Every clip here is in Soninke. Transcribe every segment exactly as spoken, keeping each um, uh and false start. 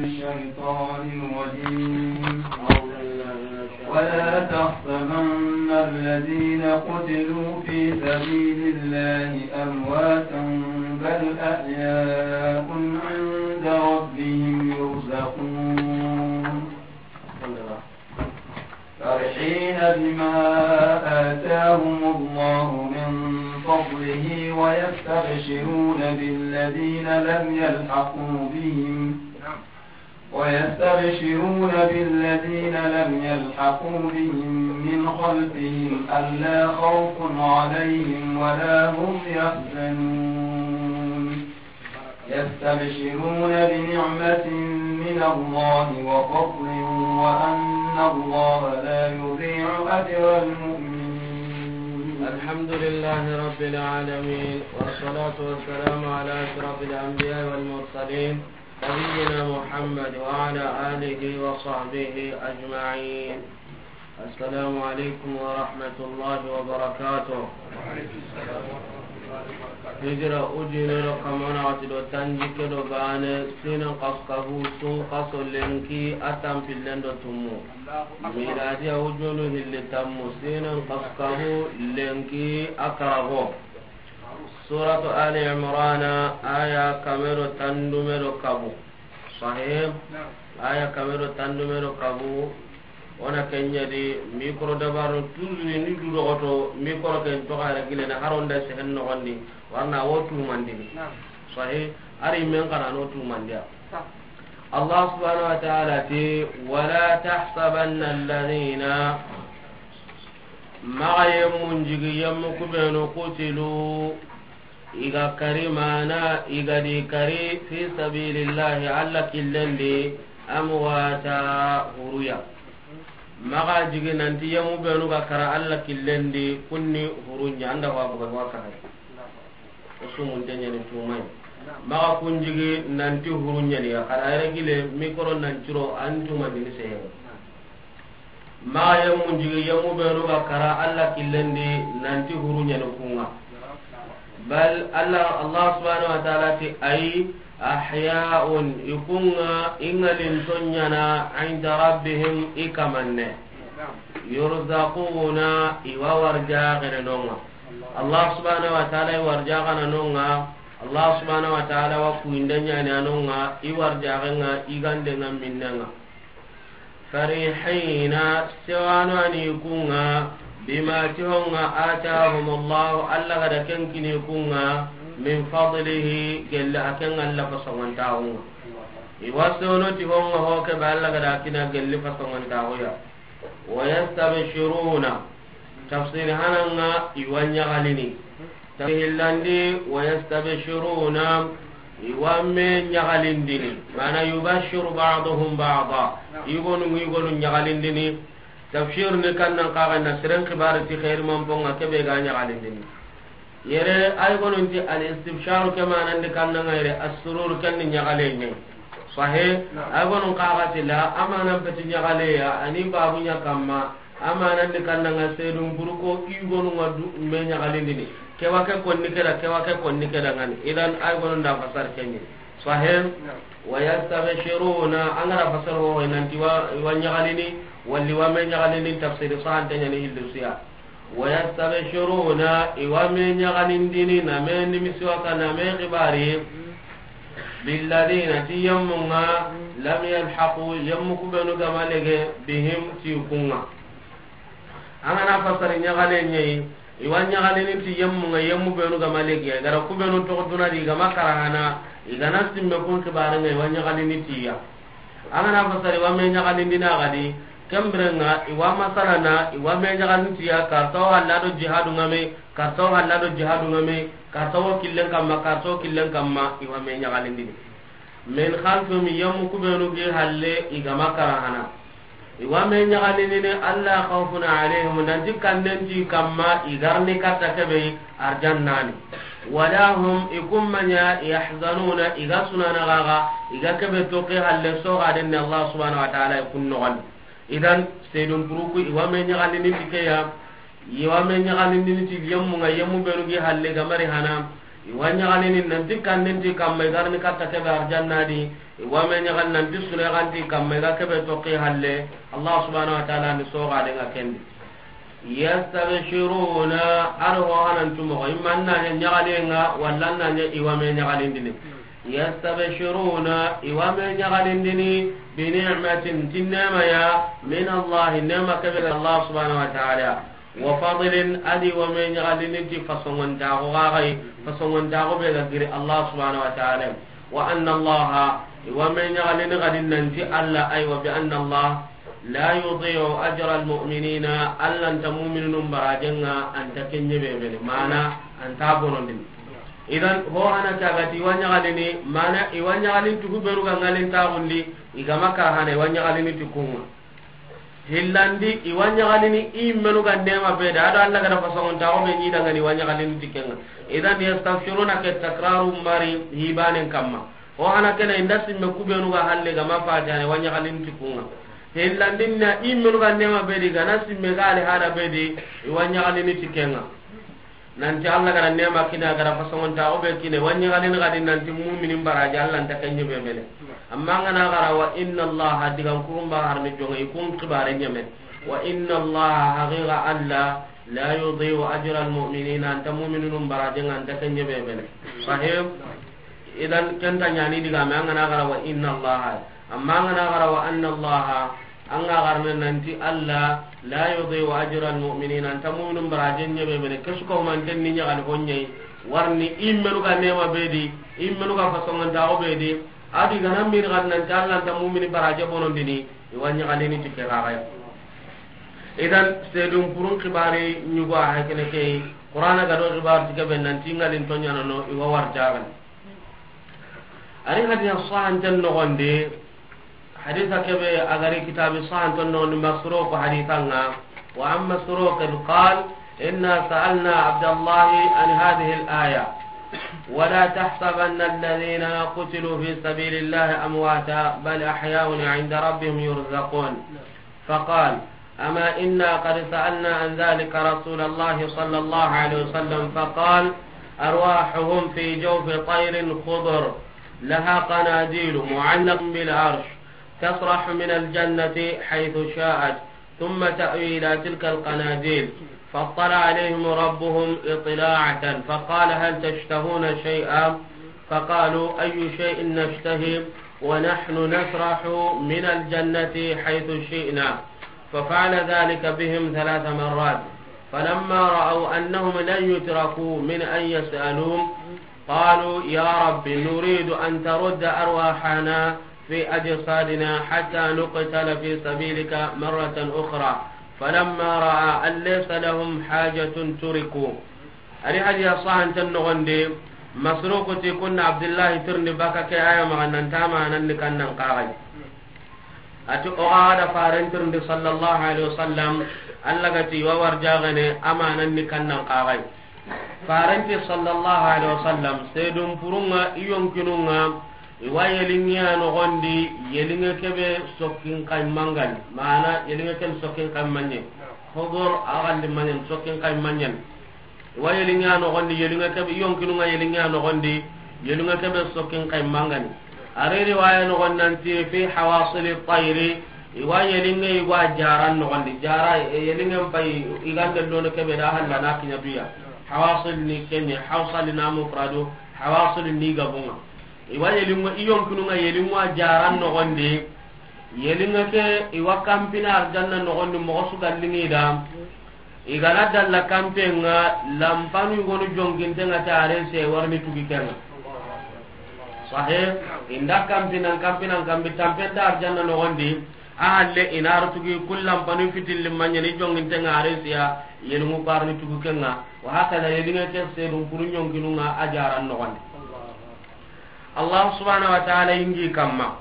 الشيطان الرجيم. ولا تحسبن الذين قتلوا في سبيل الله أمواتا بل أحياء عند ربهم يرزقون. فرحين بما آتاهم الله من فضله ويستبشرون بالذين لم يلحقوا بهم ويستبشرون بالذين لم يلحقوا بهم من خلفهم ألا خوف عليهم ولا هم يحزنون. يستبشرون بنعمة من الله وفضل وأن الله لا يضيع أجر المؤمنين. الحمد لله رب العالمين، والصلاة والسلام على أشرف الأنبياء والمرسلين، نبينا محمد وعلى آله وصحبه أجمعين. السلام عليكم ورحمة الله وبركاته. Hijira ujunero kamana wati do tanjikke do bane, sinan kaskabu sun kaso lenki a tanpillen do tumu. Miladiya ujunu hilli tammu, sinan kaskabu lenki a karago. Suratu Ali Imrana, aya kamero tandume do kabu. Sahih. Aya kamero tandume do kabu. Ona kenya di micro dabarun tuzuni ni du dogoto micro ken to gara gile na haronda sehen no gondi. Warna wo tumandini. Sahih. Ari men kana no tumandiya. Allah subhanahu wa ta'ala ti, "Wala tahsabanna alladhina," maxa yemmun jigi yemmu kubenu, "qutilu," i ga kari mana, i ga di kari, "fi sabilillahi," Alla killen di, "amwata," huruya. Maxa jigi nanti yemmu benu ga kara Alla killen di, kunni hurunya, anda wa buga wa kara. O sumunte ɲani tumay. Maxa kun jigi nanti huru ɲani ya, xara yere gile micro nan curo an tumandini seyere. Maxa yemmun jigi yemmu benu ga kara Alla killen di nanti huru ɲani kunga. Bal Alla, Allah subhanahu wa ta'ala ti, ay, ahya'un, i kunga i ŋalinto ɲana, inda rabbihim, i kamanne. Yurzaquna, i wa warjaxene nonga. Allah subhanahu wa ta'ala i warjaxana nonga, Allah subhanahu wa ta'ala wa kuyinde ɲani a nonga, i warjaxenga, i gandenga, minnenga. Farihina, sewano ani kunga, bima ti honga, atahumullahu, Allah gada ken kini kunga, min fadlihi, gelle a ken Allah fasongantaxunga. I wa sewno ti honga ho ke ba Allah gada kina gelle fasongantaxuya. Wa yastabshiruna. Tafsiri hananga i wa ɲaxalini. Tafsiri hillandi, wa yastabshiruna, i wa me ɲaxalindini. Mana yubashiru ba'duhum ba'da. I gonu, i gonu ɲaxalindini. Tafsir ni kannan kaxenna seren xibari ti xeeri manponga kebe ga ɲaxalindini. Yere, ay gonunti al-istibsharu ke manandi kannanga yere, as-surur ken ni ɲaxale ɲe. Sahe, ay gonun kaxati la, amanan peti ɲaxale ya, ani babu ɲa kamma, amanandi kannanga sedun buruko, i gonunga du me ɲaxalindini. Kewa ke konni keda, kewa ke konni keda ngani. Idan ay gonun da fasar kenni. Sahe, wa yastabshiruna, angara fasar ho nanti wa, wa ɲaxalini, walli wa me ɲaxalini, tafsiri sahante ɲani hillu siya. Wa yastabshiruna, i wa me ɲaxalindini, na me nimisiwasa, na me xibari, billadhina, ti yemmunga, lam yalhaqu, yemmu kubenu gama lege, bihim, ti kunga. Angana fasari ɲaxale ɲeyi, i wa ɲaxalini ti yemmunga, yemmu benu gama lege, gara kubenu toxo dunadi, i gama karahana, i gana simme kun xibarenga, i wa ɲaxalini tiya. Angana fasari wa me ɲaxalindini a gadi, kembirenga i wa masalana, i wa me ɲaxalindi tiya, kartawo halla do jihadu ngame, kartawo halla do jihadu ngame, kartawo killen kamma, kartawo killen kamma, i wa me ɲaxalindini. Min khalfihim, yemmu kubenu gi halle, i gama karahana. I wa me ɲaxalindini, alla khawfun alayhim, nanti kannenti kamma, i garni katta kebe, arjannani. Wala hum, i kummanya, yahzanuna, i ga sunana gaga, i ga kebe toke halle soga denne Allah subhanahu wa ta'ala i kun nogon. Idan, sedun puruku i wa me ɲaxalindini ti keya, i wa me ɲaxalindini ti yemmu nga yemmu benu gi halle gamari hana, I wa ɲaxalini nanti kannen ti kamma, i ga ri ni katta kebe arjanna di. I wa me ɲaxali nanti sure ga nti kamma, i ga kebe toxi halle. Allah subhanahu wa ta'ala ni soxaden ŋa ken di. Yastabshiruna, a do ho hanan tu moxo, i ma na ɲa ɲaxaliyen ŋa, walla na ɲa i wa me ɲaxalindini. Yastabshiruna, i wa me ɲaxalindini, bi ni'matin, ti neema ya, min Allah, neema kebe ga Allah subhanahu wa ta'ala. Wa fadlin, a di wa me ɲaxalini ti fasongontaxu xaxay, fasongontaxu be ga giri Allah subhanahu wa ta'ala. Wa anna Allah, i wa me ɲaxalini xadi nanti Allah, aywa, bi anna Allah la yudi'u ajra almu'minina, Allah nta mu'minunun barajen ŋa, anta ken ɲebe bene, mana anta bonondini. Idan, ho hana ke a ga ti i wa ɲaxalini, mana i wa ɲaxalin tugu beru ga ŋalin taxundi, i ga ma kara hana, i wa ɲaxalini ti kun ŋa. Hillandi, i wa ɲaxalini i menu ga neema be da, a do Allah ga da fasongontaxu be ɲi dangani, i wa ɲaxalini ti ken ŋa. Idan, yastabshiruna ke takraru mari hibanen kamma. Ho hana ke na i nda simme ku benu ga halle ga ma fatihane, i wa ɲaxalini ti kun ŋa. Hillandin na i menu ga neema be di, ga na simme ga ali hana be di, i wa ɲaxalini ti ken ŋa. Nanti Allah ga da neema kini, a ga da fasongontaxu be kini, i wa ɲaxalini xadi nanti mu'minin baraje, Allah nta ken ɲebe bene. Amma an ga na xara wa inna Allah, digan kurun ba har ni jonŋe, i kun xibare ɲeme. Wa inna Allah, haqiqa Allah, la yudi'u ajra almu'minina, anta mu'minunun barajen ŋa, anta ken ɲebe bene. Sahih? Idan, ken ta ɲaani digaame, an ga na xara wa inna Allah. Amma an ga na xara wa anna Allah, an ga xarana nanti Allah, la yudi'u ajra almu'minina, anta mu'minun barajen ɲebe bene, ke su ka humanten ni ɲaxali honɲe, warni i menu ga neema be di, i menu ga fasongontaxu be di, a di ga na mini xadi nanti Allah nta mu'mini baraje bonondini, i wa ɲaxalini ti ke xaxaya. Idan, sedun kurun xibari ɲugo a hay kene ke, Qur'ana ga do xibaru ti ke be nanti ŋalin to ɲaana no, i wa war jagan. Ari hadisa sahanten noxondi, hadisa kebe a ga ri kitabi sahanten noxondi, Masruq hadisan ŋa. وعن مسروق قال: إنا سألنا عبد الله عن هذه الآية: ولا تحسبن الذين قتلوا في سبيل الله أمواتا بل أحياء عند ربهم يرزقون. فقال: أما إنا قد سألنا عن ذلك رسول الله صلى الله عليه وسلم فقال: أرواحهم في جوف طير خضر لها قناديل معلق بالعرش تسرح من الجنة حيث شاءت ثم تأوي إلى تلك القناديل فاطلع عليهم ربهم اطلاعة فقال: هل تشتهون شيئا؟ فقالوا: أي شيء نشتهي ونحن نسرح من الجنة حيث شئنا. ففعل ذلك بهم ثلاث مرات، فلما رأوا أنهم لن يتركوا من أن يسألوا، قالوا: يا رب، نريد أن ترد أرواحنا في أجسادنا حتى نقتل في سبيلك مرة أخرى، فلما رأى أن ليس لهم حاجة تركوا. Ari hadiya sahanten noxondi, Masruku ti kunna Abdullahi tirindi baka ke aya maxa nan ta manan ni kannan kaxay. Ati o ga da faren tirindi sallallahu alaihi wasallam, Allah ga ti wa warjaxene amanan ni kannan kaxay. Farenti sallallahu alaihi wasallam, sedun purunga, iyonkinunga, iwa yelingiya noxondi, yelinge kebe sokkin kaymangani, mana yelinge ken sokkin kaymanye. Hobor agalli manyen sokkin kaymanyen. Iwa yelinge a noxondi, yelinge kebe, i yonkinunga yelinge a noxondi, yelinge kebe sokkin kaymangani. A ri riwaya noxon nanti fi hawasili tayri, iwa yelinge iwa jaran noxondi. Jara, e, yelinge mpay, igande lono kebe da halla na kinya duya. Hawasil ni kenye, hawsali na mufradu, hawasil ni gabunga. Iwa yelingo, i yonkinunga yelingo a jaran noxondi. Yelinga ke, iwa kampina arjanna noxondi, moxo su gallingi da. I gana dalla kampenga, lampanu yugonu jongintenga ta arense warni tugi kenga. Sahe, inda kampinan, kampinan, kampi tampenta arjanna noxondi, a halle inaru tugi, kul lampanu fitilli manyani jongintenga arensiya, yelingu parni tugi kenga. Wa hakada yelinga ke sedun kuru yonkinunga a jaran noxondi. Allah subhanahu wa ta'ala ingi kamma.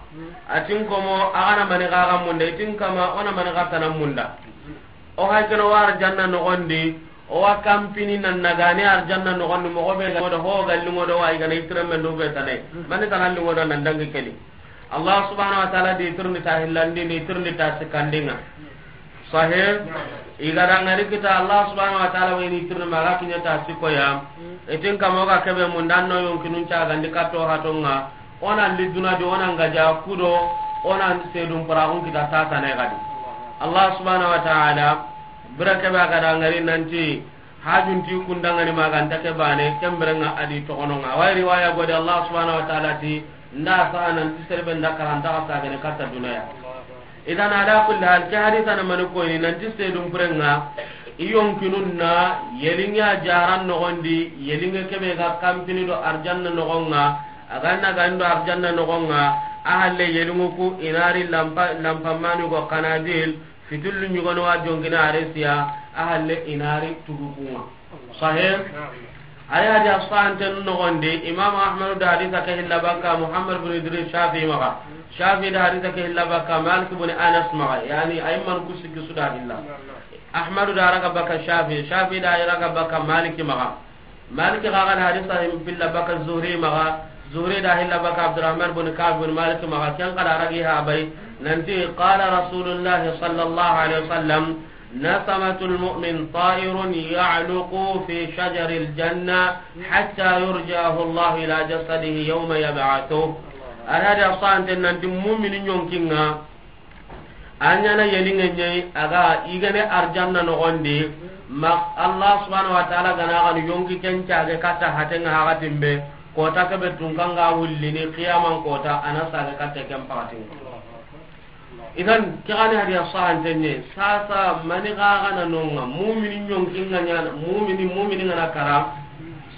Atin komo, agana mani gaga munda, itin kama, ona mani gatana munda. O haykeno wa arjanna noxondi, o wa kampini nan nagani arjanna noxondi, moxo be ga da ho gallingo do wa igana itirembe ndo be tane. Mani tana lingo do nan dangi keni. Allah subhanahu wa ta'ala di tirni ta hillandi, ni tirni ta sikandinga. Sahih. I ga da ŋari kita Allah subhanahu wa ta'ala wa i ni tirni ma ga kiɲa ta siko ya. I tin kamo ga kebe mun dan no yonkinun ca gandi kato hatonga. O na li duna di, o na ŋa ja kudo, o na sedun paraxun kita ta tane gadi. Allah subhanahu wa ta'ala bira kebe ga da ŋari nanti hajun ti kundangani ma ganta ke bane, ken bire ŋa a di toxono ŋa. Wa riwaya godi Allah subhanahu wa ta'ala ti nda sa nan ti serbe nda karanta ka sagene katta dunaya. Idan ala kulli hal, ke hadisa na mani koyni nanti sedun pure ŋa, i yonkinun na yelinge a jaran noxondi, yelinge kebe ga kampini do arjanna noxon ŋa, a ga na gani do arjanna noxon ŋa, a halle yelingu ku i na ri lampa, lampa mani go kanadil, fitillu ɲugonu wa jonkini aresiya, a halle i na ri tugu ku ŋa. Sahih. Ay hadi asahanten noxondi, Imam Ahmadu da hadisa ke hilla bakka Muhammad bin Idris Shafi maxa. Shafi da hadisa ke hilla bakka Malik bin Anas maxa. Yani ay man kusiki su da hilla. Ahmadu da raga bakka Shafi, Shafi da raga bakka Malik maxa. Malik ga ga hadisa hilla bakka Zuhri maxa. Zuhri da hilla bakka Abdurrahman bin Ka'b bin Malik maxa. Ken xa da ragi ha bay. Nanti qala Rasulullah sallallahu alaihi wasallam, نسمة المؤمن طائر يعلق في شجر الجنة حتى يرجعه الله إلى جسده يوم يبعثه. Alhadi a sante nanti mumini ɲonkinga a ɲana yelinge ɲayi, a ga yigene arjanna noxondi. Ma Allah subhanahu wa ta'ala gana ganu yonki ken cage katta hatenga hakatimbe, kota kebe tunkanga wullini qiyaman kota, ana sage katta ken pakatinga. Idan ke gani hadiya sahantenye, sasa mani ga gana nonga, mumini ɲonkinga ɲana, mumini, mumini ngana kara,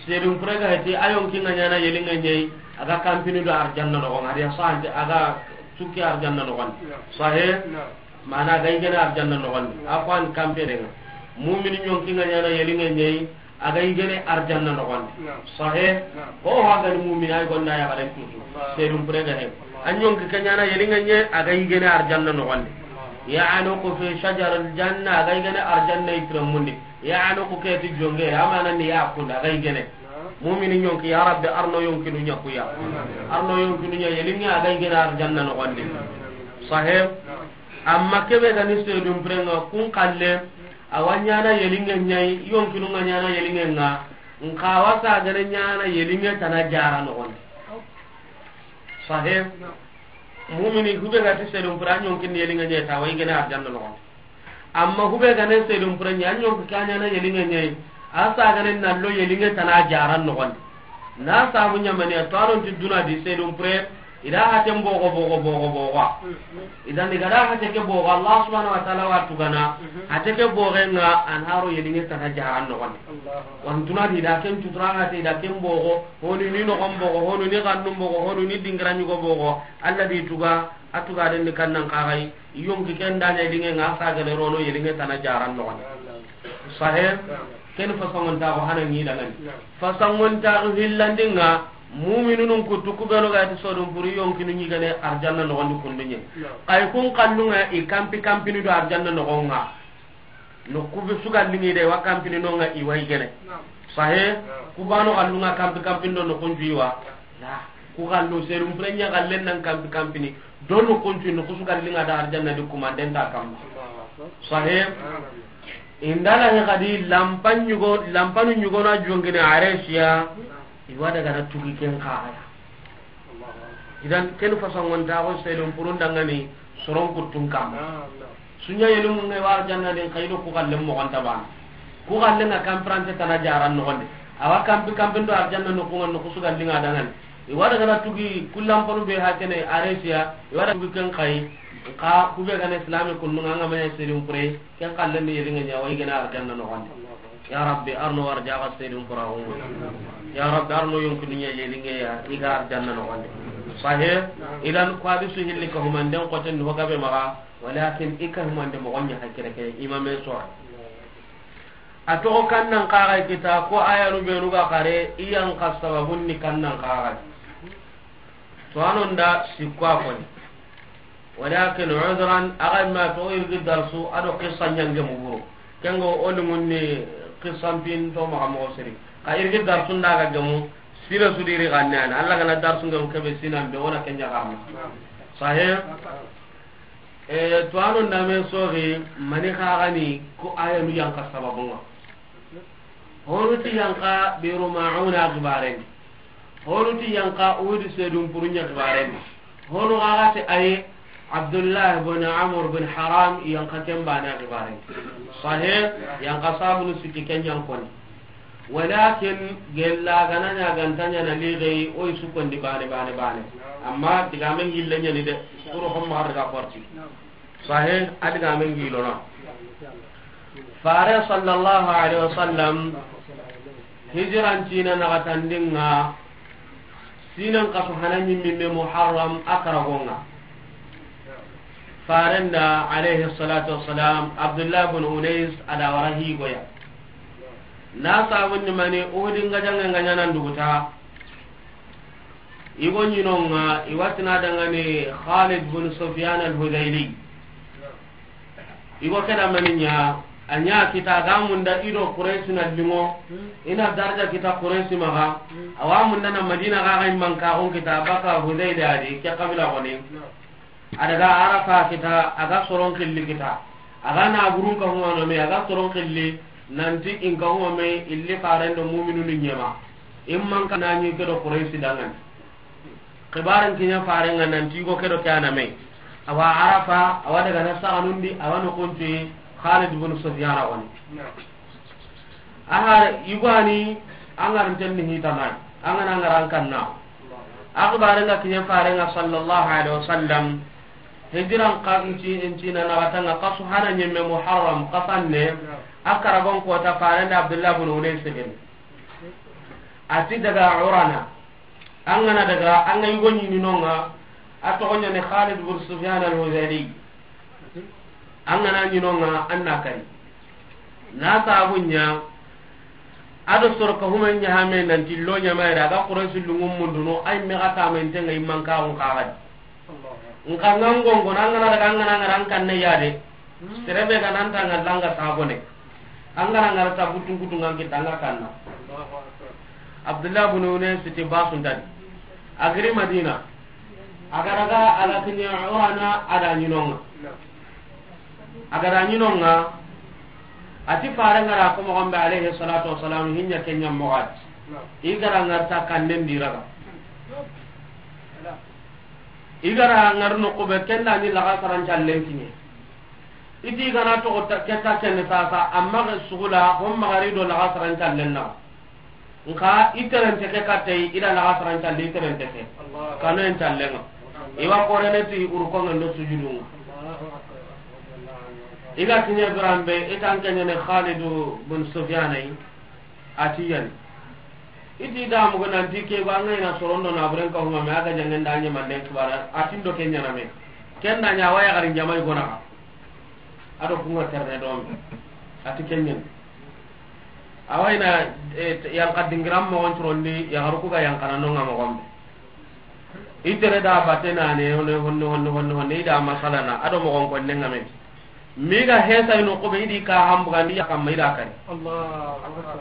sedun pure ga heti, a yonkinga ɲana yelinge ɲayi, a ga kampini do arjanna noxon, hadiya sahante, a ga tukki arjanna noxon. Sahe, mana a ga yigene arjanna noxon, a ko an kamperenga. Mumini ɲonkinga ɲana yelinge ɲayi, a ga yigene arjanna noxondi. Sahe, ko ha gani mumina ay gonda ya garen tutu. Sedun pure ga he. A ɲonki ke ɲana yelinge ɲe, a ga yigene arjanna noxondi. Ya'luqu fi shajar al-janna, a ga yigene arjanna itiramundi. Ya'luqu ke ti jonge, amana ni ya kunda, a ga yigene. Mumini ɲonki, ya Rabbi, arno yonkinu ɲa kuya. Arno yonkinu ɲa yelinge, a ga yigene arjanna noxondi. Sahe, amma kebe gani sedun purenga kun kalle, a wa ɲana yelinge ɲayi, yonkinu nga ɲana yelinge nga, nka wa sagane ɲana yelinge tana jara noxondi. Sahe, mumini hube ga ti sedun pure a ɲonkin yelinge ɲayi ta wa yigene arjanna noxondi. Amma hube gane sedun pure ɲa, a ɲonki ka ɲana yelinge ɲayi, a sagane nallo yelinge tana jara noxondi. Na sabu ɲamani a to anon ti duna di sedun pure, i da haten bogo, bogo, bogo, bogo. Idan i ga da hate ke bogo, Allah subhanahu wa ta'ala wa tugana, hate ke bogo nga an haro yelinge tana jaran noxon. Wan tuna di da ken tutura hate da ken bogo, honu ni noxon bogo, honu ni gannun bogo, honu ni dingira ɲugo bogo, Allah di tuga, a tuga den ni kannan kaxay, yonki ken da ɲa yelinge nga sagane rono yelinge tana jaran noxon. Sahe, ken fasongon ta ko hana ni dangani. Fasongon ta ko hillandinga, mu'minunun kutu kubenu ga ti sedun pure yonkinu ɲigene arjanna noxondi kunduɲe. Kay kun kallunga i kampi kampini do arjanna noxonga. No kube sugallingi de wa kampini nonga i wa yigene. Sahe, kubano kallunga kampi kampini do no kunju i wa. La, ku kallu sedun pure ɲa kallen nan kampi kampini. Donu kuncu ni kusu gallinga da arjanna di kumanden ta kamma. Sahe. Indala he kadi lampan ɲugo, lampanu ɲugona jongine aresiya, i wa daga na tugi ken kaxaya. Idan ken fasongon ta ko sedun purun dangani soron kuttun kamma. Sunya yelu mun ngai wa arjanna din kaydo ku kallen mo gonta bana. Ku kallen na kampirante tana jaran no gonde. Awa kampi kampin do arjanna no ku ngan no kusu gallinga dangani. I wa daga na tugi kullan ponu be hakene aresiya, i wa daga tugi ken kai, ka kube gane islami kunnu nga manya sedun pure, ken kallen ni yelinga ɲa wa yigene arjanna no gonde. Ya Rabbi, arno warjaga sedun pura hu. Ya Rabbi, arno yonkunu ɲa yelinge ya, i ga arjanna no gonde. Sahe, idan ko hadisu hilli ka humanden ko ten ho gabe maga, walakin i ka humande mo gonya hakire ke, imame so. A toxo kannan kaxay kita ko ayanu benu ga xare i yan xa sababun ni kannan kaxay. To anon da sikko a koni. Walakin udran, a ga ma to irgi darsu a do qissa ɲange mu buru. Kengo o lungun ni qissan pin to maxa moxo siri. Xa irgi darsu nda ga gemu sire su diri ganne ana. Alla gana darsu ngam kebe sinan be wona kenya garna. Sahe. E, tuwano name soxi, mani xaxani ko ayanu yanka sababunga. Honu ti yanka Biru Mauna xibarendi. Honu ti yanka Uhudi sedun purunya xibarendi. Honu xaxati aye Abdullah bin Amr bin Haram yanka kembana xibarendi. Sahih, yanka sabunu sikki kenyankoni. Walakin gella gana ɲa ganta ɲa na ligai oy sukondi bane bane bane. Amma digamen gille ɲani de. Kuro homma har ga porti. Sahih, a digamen gilona. Fare sallallahu alaihi wasallam hijiran cina naxatandinga sinan kaso hana ɲimmimme Muharram a karagonga. Farenda alaihi salatu wassalam Abdullah bin Unais a da wara higoya. Na sabundi mani Uhudi nga jange nga ɲanan duguta. Igo ɲinonga iwatina dangani Khalid bin Sufyan al-Hudayli. Igo keda mani ɲa, a ɲa kita ga munda ido Quraysh na lingo, ina darja kita Quraysh maga, awa munda na Madina ga ga manka gon kita baka Hudayli adi ke kabila goni. A daga Arafa kita, a ga soron xilli kita. A ga na burun ka huma no me, a ga soron xilli, nanti in ka huma me, illi farendo mu'minunu ɲema. In manka na ɲi ke do Quraysh dangan. Xibaran kinya farenga nanti go ke do ke ana me. Awa Arafa, awa daga na saganundi, awa no kunti Khalid bin Sufyan wani. Aha, igwani, angar ntenni hitanai, angana angar ankanna. Akhbarenga kiyen farenga sallallahu alaihi wasallam, hijiran ka nci, nci na nagatanga kasu hana nyemme Muharram kasanne, akara gon kota farende Abdullah bin Unais bin. Ati daga Urana, angana daga, anga yugo nyini nonga, atogonya ne Khalid bin Sufyan al-Hudayli. An ga na ɲi no ŋa, an na kari. Na sabu ɲa, a do soro ka huma ɲa hame nanti lo ɲa ma ira, a ga Quraysi lungun mundu no, ay me ga ta men tenga imman ka on ka ga di. Nka ŋa ŋongo na ŋa na daga ŋa na ŋa ran kan ne ya de. Sere be ga nan ta ŋa langa sabo ne. An ga na ŋa ra ta butun kutu ŋa ki danga kanna. Abdullah bin Unais ti basun dadi. A giri Madina. A ga daga a ga kiɲe Urana a da ɲi no ŋa. A ga da ɲi no ŋa, a ti fare ŋa ra ko moxo be alayhi salatu wassalam, hinya kenya moxo a ti. I ga ra ŋa ra ta kannen di raga. I ga ra ŋa ra no ko be kenda ni laga saran callen kiɲe. I ti ga na to ta, keta kenne sasa, amma ga sugula, hon magari do laga saran callen na. Nka i terente ke kattey, i da laga saran calli i terente ke. Kano en callenga. I wa korene ti urkonga ndo sujudunga. I ga kiɲe birambe, i tan keɲene Khalidu bin Sufyana yi, a ti yani. I ti da mugu nanti ke ba ngai na sorondo na buren ka huma me a ga jangen da ɲe manden kibara, a ti ndo kenya na me. Ken da ɲa waya garin jamai gona. A do kunga terne do me. A ti kenyen. Awa i na, eh, yanka dingiran moxon curondi, yaxaru ku ga yankana no ŋa moxon be. I tere da bate na ne, honne, honne, honne, honne, honne, i da masala na, a do moxon konne ŋa me. Mi ga hesa i no ko be, i di ka hambugandi ya kamma, i da kari. Allahu Akbar.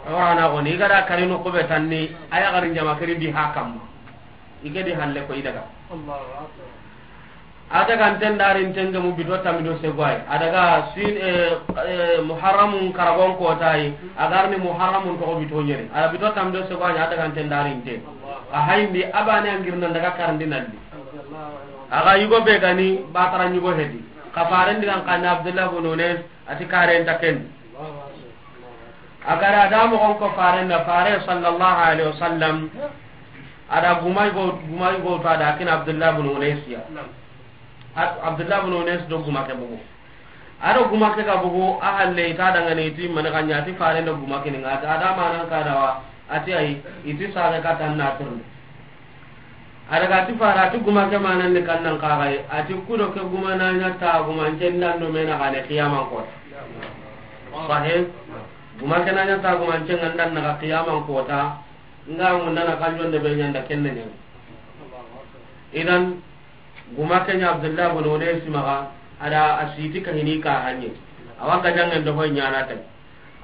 Awa na goni, i ga da kari no ko be tanni, a yaxarin jama kari di ha kamma. I ke di halle ko i daga. Allahu Akbar. A daga nten darin tenge mu bito tammi do segwai. A daga sin, eh, eh, Muharramun karagon kotai. A garni Muharramun to bito nyeri. A bito tammi do segwai a daga nten darin te. A hayndi abane angirna daga karandi nalli. A ga yugo be gani batara yugo hedi. Ka faren digan kan Abdullah bin Unais a ti karen taken. A ga ra da moxon ko faren na fare sallallahu alaihi wasallam. A da gumay go, gumay go to a da kin Abdullah bin Unais ya. Naam. At-, Abdullah bin Unais do guma ke bugu. A do guma ke ga bugu, a halle i ta dangane i ti mani ga ɲa ti fare do guma ke ni ŋa, a da manan ka da wa, a ti ay, i ti sare ka tan na turni. A daga ti fare, a ti guma ke manan ni kan nan ka ga yi, a ti kudo ke guma na ɲa ta guma ncen dan do me na ga ne qiyaman ko. Sahih. Guma ke na ɲa ta guma ncen dan na ga qiyaman ko ta. Nga munda na kanjon de be ɲanda kenne ɲa. Idan, guma ke ɲa Abdullah bin Unais maxa, a da a siti ka hini ka hanye. Awa ga jangen do hoy ɲana tay.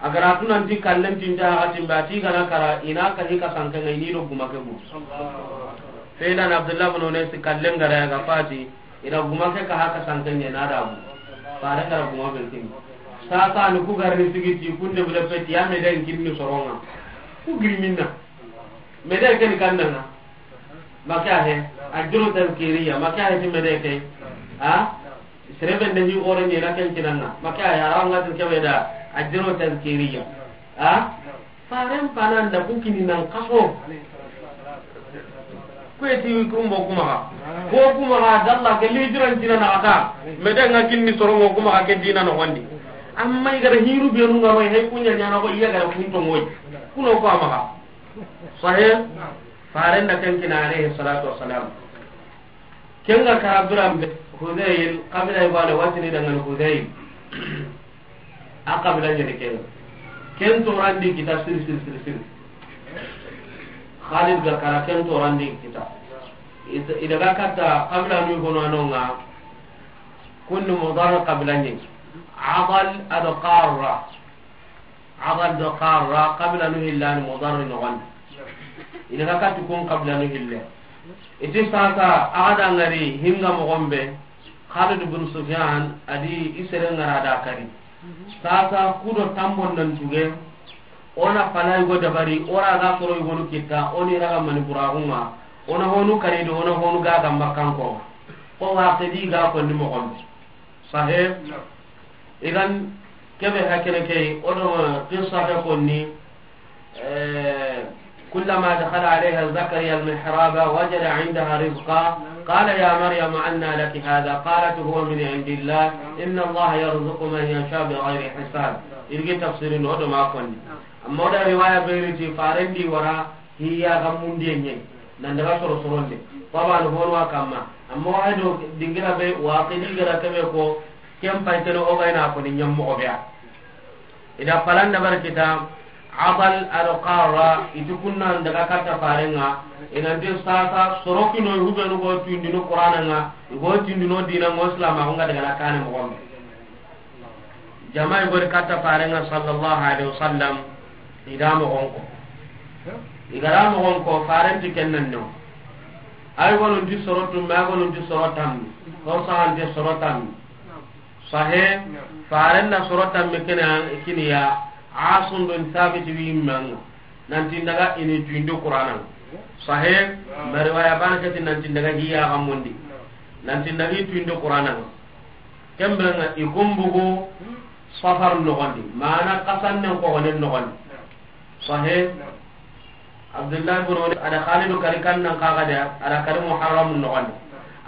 A ga ra tunanti kallen tinta a ga timba ti ga na kara i na ka hi ka sanke ngai ni do guma ke bu. Fe idan Abdullah bin Unais kallen ga ra ya ga fati. I da guma ke ka haka sanke ɲe na da bu. Fare ga ra guma be kini. Sasa ni ku ga ri sigi ti kunde bule peti ya me den kinni soronga. Ku giri minna. Me den ken kandanga. Maka he. Ajru tazkiriya. Maka he ti me den ke. Ha? Sere be nde hi gore ɲe na ken kinanga. Maka he. Ara nga tin kebe da. Ajru tazkiriya. Ha? Faren pana nda ku kini nan kaso. Ku eti kumbo kuma ga. Ko kuma ga dalla ke li jiran jina na kata. Me den ga kinni sorongo kuma ga ke dina no gondi. Amma i ga ra hiru be nu nga ro he kunya ɲana ko i ya ga ra kunto ngoy. Kuno ko ama ga. Sahih. Faren da ken kina alayhi salatu wassalam. Ken ga kara biran be, Hudayl, kabila i bane watini dangan Hudayl. A kabila ɲani ken. Ken torandi kita siri, siri, siri, siri. Khalid ga kara ken torandi kita. Id-, i daga katta kabila nu hono anonga. Kunni Mudar kabila ɲi. Adal ado Qarra. Adal do Qarra, kabila nu hillani Mudar nogondi. I daga katti kun kabila nu hille. Iti sasa, a ga da ngari hinga mogon be, Khalid bin Sufyan, a di i sere ngara da kari. Sasa, kudo tambon nan tuge, o na pala yugo dabari, o ra ga soro yugonu kitta, o ni raga mani buragunga, o na honu kari do, o na honu gaga makkanko. Ko wa kedi ga ko ni mogon be. Sahih. Idan, kebe hakene ke, o do qissa ke konni, eh, كلما دخل عليها زكريا المحراب وجد عندها رزقا قال يا مريم أنى لك هذا قالت هو من عند الله إن الله يرزق من يشاء بغير حساب. Irgi tafsirin o do ma konni. Amma o da riwaya be riti farendi wara hiya ga mundiye ɲe. Nan daga soro soronde. Baba no hono kamma. Amma wa do dingira be wa qidi gara kebe ko ken pay teno o bayna ko ni ɲammo o be ya. I da palan da bar kita, Adal ado Qarra, i ti kunnan daga katta farenga, i nan ti sasa, soro kino i hubenu go tindino Qur'ananga, i go tindino dinango Islam, a go nga daga na kane mogon be. Jama i go ri katta farenga sallallahu alaihi wasallam, i da mogon ko. I ga ra mogon ko, faren ti ken nan no. Ay gonun ti soro tumme, ay gonun ti soro tammi. Ko sahante soro tammi. Sahe, faren na soro tammi kene kiniya, Asim bin Thabit wi manga. Nanti ndaga ini tuindo Qur'anan. Sahe, ma riwaya bana kati nanti ndaga hiya ga mundi. Nanti ndaga i tuindo Qur'anan. Kembe nga i kumbugu Safar nogondi. Mana kasannen ko gonen nogondi. Sahe. Abdullah ibn Ubay, a da Khalidu kari kannan kaga da, a da kari Muharram nogondi.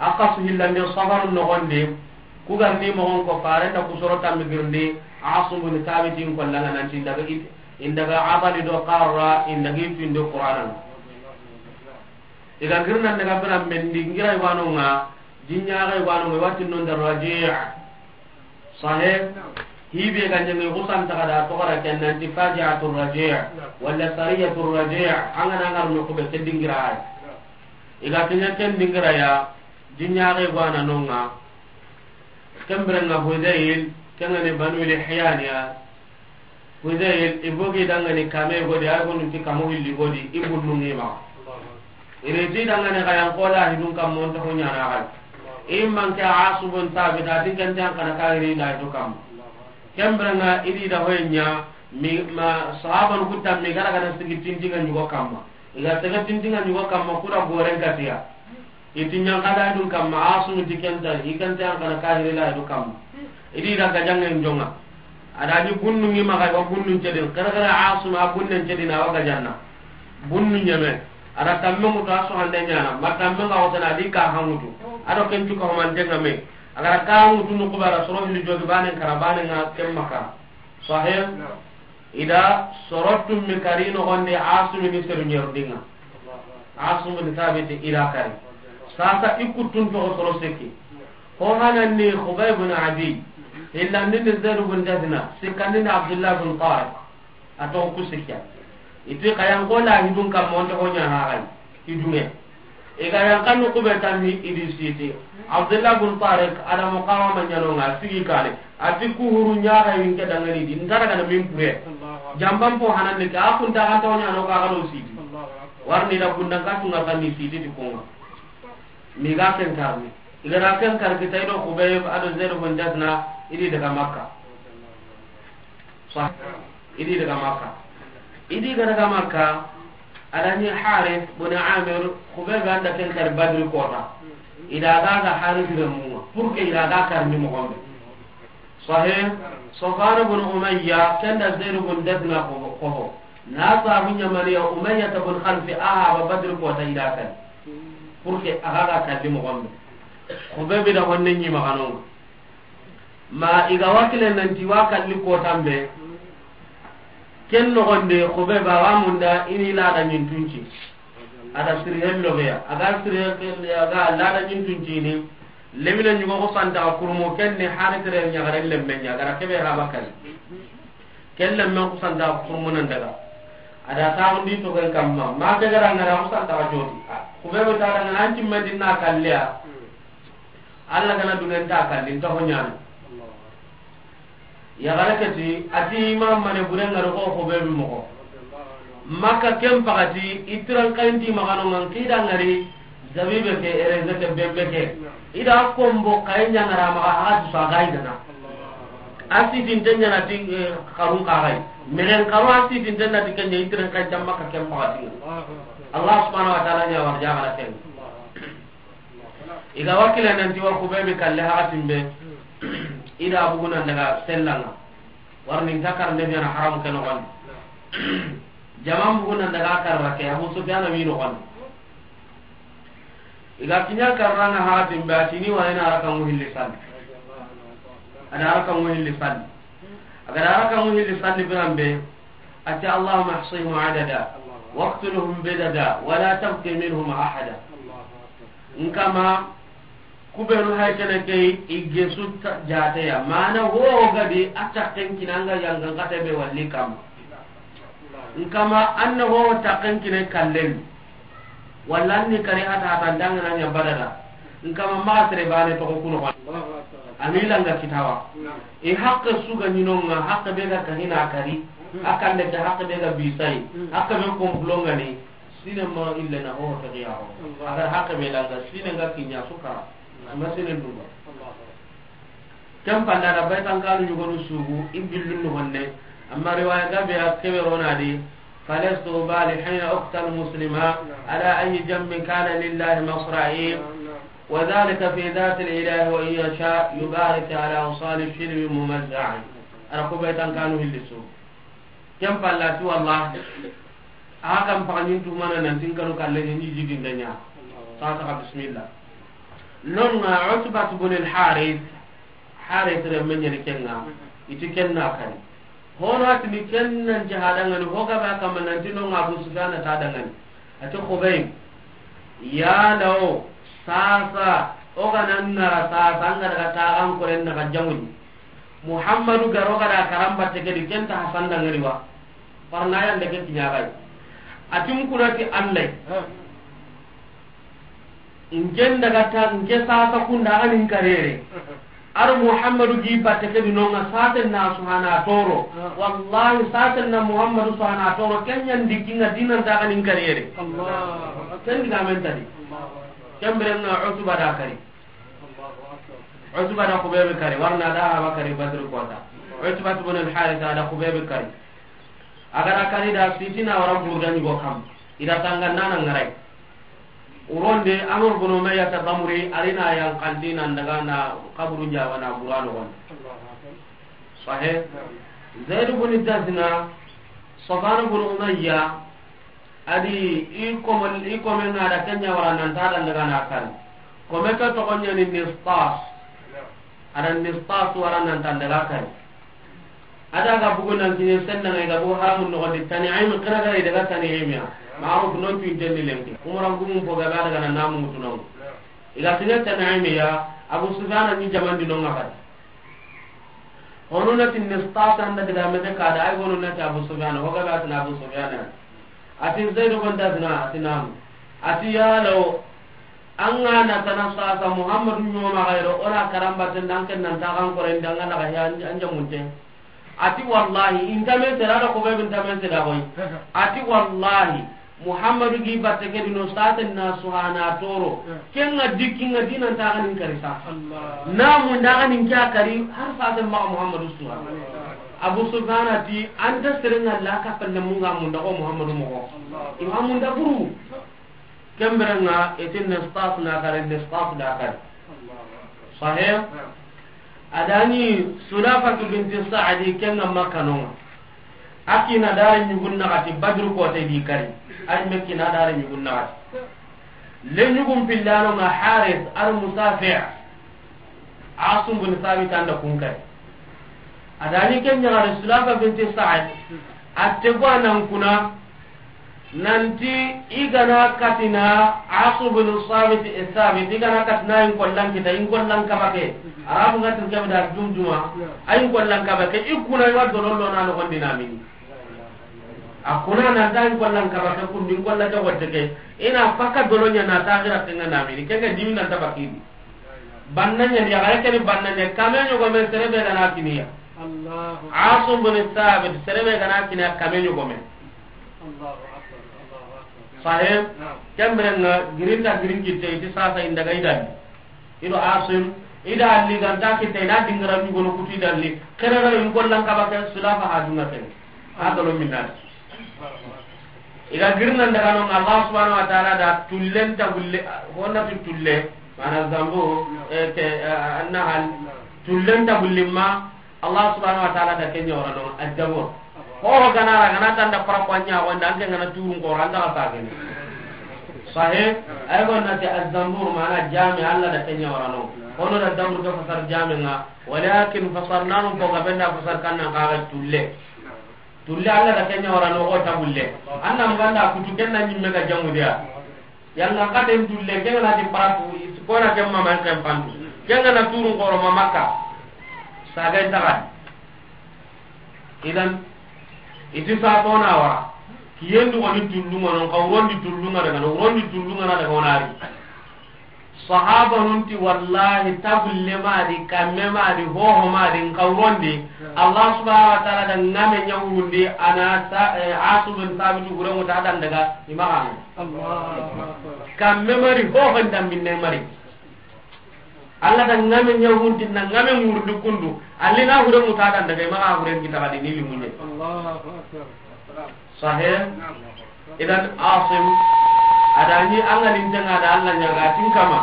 A kasu hillande Safar nogondi, ku garni mogon ko faren da ku soro tammi girndi, Asim bin Thabit in kollanga nanti indaga it-, indaga Adal do Qarra, indaga i tuindo Qur'anan. I ga girnan daga bira mendi, ngira i wanonga, jinya ga i wanonga, wati non da Raji'. Sahe, hibe ga ɲangi kusan taga da to gara ken nanti faji'atur Raji', wala sariyatur Raji', an ga na ngar no ko be ke dingira ay. I ga kenya ken dingira ya, jinya ga gwana nonga. Kembere nga Hudayl, kengani Banu Lihyan ya. Hudayl, i bogi dangani kame godi, ay gonu ti kamo hilli godi, i bunnu ngi ma. Ireti dangane kayan kola hidun kam monta ko ɲana kay. Imman ke Asim bin Thabit, a tin kan tan kana kayri da to kam. Kembere nga idi da hoynya mi ma sahaban kutam mi gara gara sigi tintinga ɲugo kamma. Iga tege tintinga ɲugo kamma kuda goren katiya. Iti ɲankada dun kamma Asim ti kenta, i kenta an kana kahiri la du kamma. Idi da gajangen jonga. Ada ni bunnu ngi maga wa bunnu cedin. Kara kara Asim a bunnen cedin a wa gajanna. Bunnu ɲeme. Ada tamme mutu a so hande ɲana. Ma tamme nga wotana di ka hangutu. Ado ken cuka homante nga me. Agara ka hangutu nu kubara soro hili jogi bane kara bane nga kemma kara. Sahih. Ida soro tummi kari nogondi Asim ni seru ɲerundinga. Asim ni Thabit ida kari. Sasa i kuttun togo soro seki. Ho hananni Khubayb bin Adi. Hillandini Zaid bin Dathna. Sikkandini Abdullah bin Tariq. A togo ku sikkiya. Iti kayan kola hidun kamma onto ho ɲa haxay. Hidunge. I ga yan kanu kube tammi idi siti. Abdullah bin Tariq, ada muqawama ɲanonga, sigi kane. Ati kuhuru ɲaga yinke dangani di. Ntara gana min pure. Jamban po hananni ke, a kunta ganta ho ɲano ka gano siti. Warni da kundan ka tunga tanni siti ti konga. Mi ga ken karni. I ga da ken kari kita, i do Xubayb a do Zayd bun Dasna, i di daga Makka. Sah. I di daga Makka. I di ga daga Makka, a da ni Haris bun Amir, Xubayb an da ken kari Badri kota. I da ga ga Haris renmu ŋa, pour que i da ga kari ni moxo be. Sahih. Safwan bun Umayya, ken da Zayd bun Dasna ko, ko. Na sabu ɲamaniya Umayya bun Khalfi, aha, ba Badri kota i da kari. Pour que a ga ga kari ni moxo be. Xubayb da honne ɲi maxa no ŋa. Ma i ga wa kille nanti wa kalli kotan be. Ken noxon de, Xubayb a wa munda i ni lada ɲintunci. A da siri hello be ya. A ga siri, a ga lada ɲintunci ni. Lemine ɲugo ko santa kurmo ken ni hari tere ɲagare lemme ɲa, a ga ra kebe ha bakari. Ken lemme ko santa kurmo nan daga. A da ta undi to ken kamma. Ma ke ga ra ngara ko santa jodi. Xubayb ta da ngana anti Madina kalliya. Alla gana duŋen ta kalli, nta ho ɲaana. Yaxare ke ti, a ti i ma mane bure ŋari xo, xo be bi moxo. Makka ken paxati, i tiran xayi nti maxa no ŋa, n xida ŋari, zabibe ke, ereze ke, bembe ke. I da kombo xayi ɲa ŋara maxa, a xa dusu a ga yi gana. A sitinte ɲa na ti, eh, xarun xa xayi. Mexen xaru a sitinte na ti ken ɲa, i tiran xayi nta Makka ken paxati. Allah subhanahu wa ta'ala ɲa warja xara ken. I ga wa kille nanti wa Xubaybi kalle hakatin be, i da bugu nan daga sellan ŋa. Warni nta kar nde biyana haramu ke noxon di. Jaman bugu nan daga karra ke, Abu Sufyana wi noxon di. I ga kiɲa karra ŋa hakatin be, a tini wa ina raka ŋu hilli salli. A da raka ŋu hilli salli. A ga da raka ŋu hilli salli biran be, a ti, "Allahumma ahsihim adada, waqtuluhum bidada, wa la tabqi minhum ahada." N kama, kubenu hay kene ke i gesu ta-, jateya. Mana ho gadi a takken kinanga yangan kate be walli kam. N kama, anna ho takken kine kallen. Walla ni kari hata hata ndanga na nya badada. N kama ma sere bane to ko kuno. Ami langa kitawa. I hakke su ga ɲinonga, hakke be ga kahina kari. Akande ke hakke be ga bisai. Hakke be komplo ngani. Sine ma ille na ho tagiya ho. Agar hakke be langa, sine nga kinya sukara. Ma sine ndunga. Ken panda da baytan kanu yugonu sugu, i billun no honne. Amma riwaya gabe a kebe rona di, "Falastu ubali hina uqtal muslima, ala ayi jambin kana lillahi masra'i, wa dhalika fi dhati al-ilahi wa in yasha yubarik ala awsali shirbi mumazza'i." Ara ko baytan kanu hilli su. Ken palla ti wallahi. A kan paganin tumana nan tin kanu kalle ni jigin danya. Sa ta bismillah. Non nga Utbat bin al-Harith, Harith re men yeri kenga, iti kenna kari. Hono atini kennan jihada ngani, hoga ba kama nan tino nga Abu Sufyan ta dangani. Ati Khubayb, ya law, sasa, oga nan nara sasa, anga daga tagan koren daga jamuni. Muhammadu garo gada karamba teke di kenta Hasan dangani wa. Parna yande ke kiɲaxay. Atin kunati Allay. Nken daga ta, nke sasa kunda anin karere. Ar Muhammadu gi batte ke dinonga saten na suhana toro. Wallahi saten na Muhammadu suhana toro. Kenyan dikinga dinan ta anin karere. Ken diga men tadi. Kembere nga Utba da kari. Utba da Khubayb kari. Warna da haba kari Badr kota. Utba bin al-Harith da Khubayb kari. Agara kari da sitina wara burda ni go kam. Ida tanga nana ngarai. Uronde Amr bin Umayyah ta Damri, arina yan kandina daga na kaburu jawa na burano gon. Sahih. Zaid bin Dazna, Safwan bin Umayyah, adi i komo, i kome na da kenya wara nan ta dan daga na kan. Kome ka to gonya ni Nistas. Ada Nistas wara nan tan daga kan. Ada ga bugu nan kine senna ngai ga bugu haramun no di Tan'im kira ga daga Tan'im ya. Ma'ruf non tu intelli lenki. Umara gumun po ga daga na namu tunon. Iga kine Tan'im ya, Abu Sufyan ni jaman di non ngakati. Hono na tin Nistas anda daga mete kada, ay hono na ta Abu Sufyan, ho ga ba tin Abu Sufyan. Ati Zaid bin Dazna, ati nam. Ati ya law, anga na tana sasa Muhammadu nyoma gairo, ora karamba tendan ken nan ta kan koren danga na ga ya anja munte. Ati wallahi, intame sera da ko be intame sera koy. Ati wallahi, Muhammadu gi batte ke di no saten na suhana toro. Ken ŋa dikki ŋa dinan ta ganin kari sa. Na mun da ganin kya kari har saten ma Muhammadu suha. Abu Sufyan ti anta seren ŋa la ka palle mun ŋa mun da ko Muhammadu mo ko. Ima mun da buru. Kembere ŋa etin nistas na kare nistas da kare. Sahih. Adani Sulafatu binti Sa'di ken ŋa Makka no ŋa. A kina dare ɲugun naxati Badru kote di kari. Ay me kina dare ɲugun naxati. Le ɲugun pillano ŋa Haris ar Musafi'. Asum bin Sabit anda kun kari. Adani ken ɲaxare Sulafa binti Sa'd. Atte go anan kuna. Nanti i gana katina Asu bin Sabit, Sabit, i gana katina in kollan kita, in kollan kabake. Arabu gatin kebe da jumjuma. A in kollan kabake, i kuna i wa dolon lo na no gondi na mini. A kuna na ta in kollan kabake kun din kolla ta wote ke. Ina paka dolonya na ta gira tenga na mini. Kenga dimi na ta bakini. Bannanya ya gare kene bannanya kame nyogo men serebe da na kiniya. Asu bin Sabit serebe gana kiniya kame nyogo men. Sahib, kembere ŋa girinta girin kitte iti sasa inda ga idan. Ido Asim, ida alli ganta kitte ina dingara mi gono kuti dalli. Kere ga in kollan kabake Sulafa ha dunga ken. Ha dolo minna. Iga girna daga no Allah subhanahu wa ta'ala da tullen ta gulle, honna tu tulle, mana zambu, e ke, e, annahal, tullen ta gulle ma, Allah subhanahu wa ta'ala da kenya wara no, aljabur. Ho ho gana ra, gana tanda para ko nya ko nda ke gana turun ko randa ka sagene. Sahih, ay ko na te aljabur mana jami Allah da kenya wara no. Hono da dabur ga fasar jami nga, walakin fasarna no ko ga benda fasar kanna ka ga tulle. Tulle Allah da kenya wara no ko tabulle. Annan banda kutu kenna nyimme ga jamu dia. Yalla katen tulle, kenga na di paratu, is-, kona ke mama en kan pandu. Kenga na turun koro ma Makka. Saga en taga. Idan, iti sa tona wa. Kiyendu woni tullu ngono, ka urondi tullu ngana daga, urondi tullu ngana daga onari. Sahaba nun ti wallahi tabulle ma di, kamme ma di, hoho ma di, nka urondi. Allah subhanahu wa ta'ala da ngame nyawundi, ana sa, eh, Asu bin Sabitu gure muta dan daga, imaga. Allahu Akbar. Kamme mari, ho honda minne mari. Allah da ngame ɲa hunti na ngame ŋurdi kundu. Alli na hure muta dan daga imaga hure kita kadi ni limunye. Allahu Akbar. Sahih. Idan Asim adani angalin tenga da Allah ɲaga tin kama.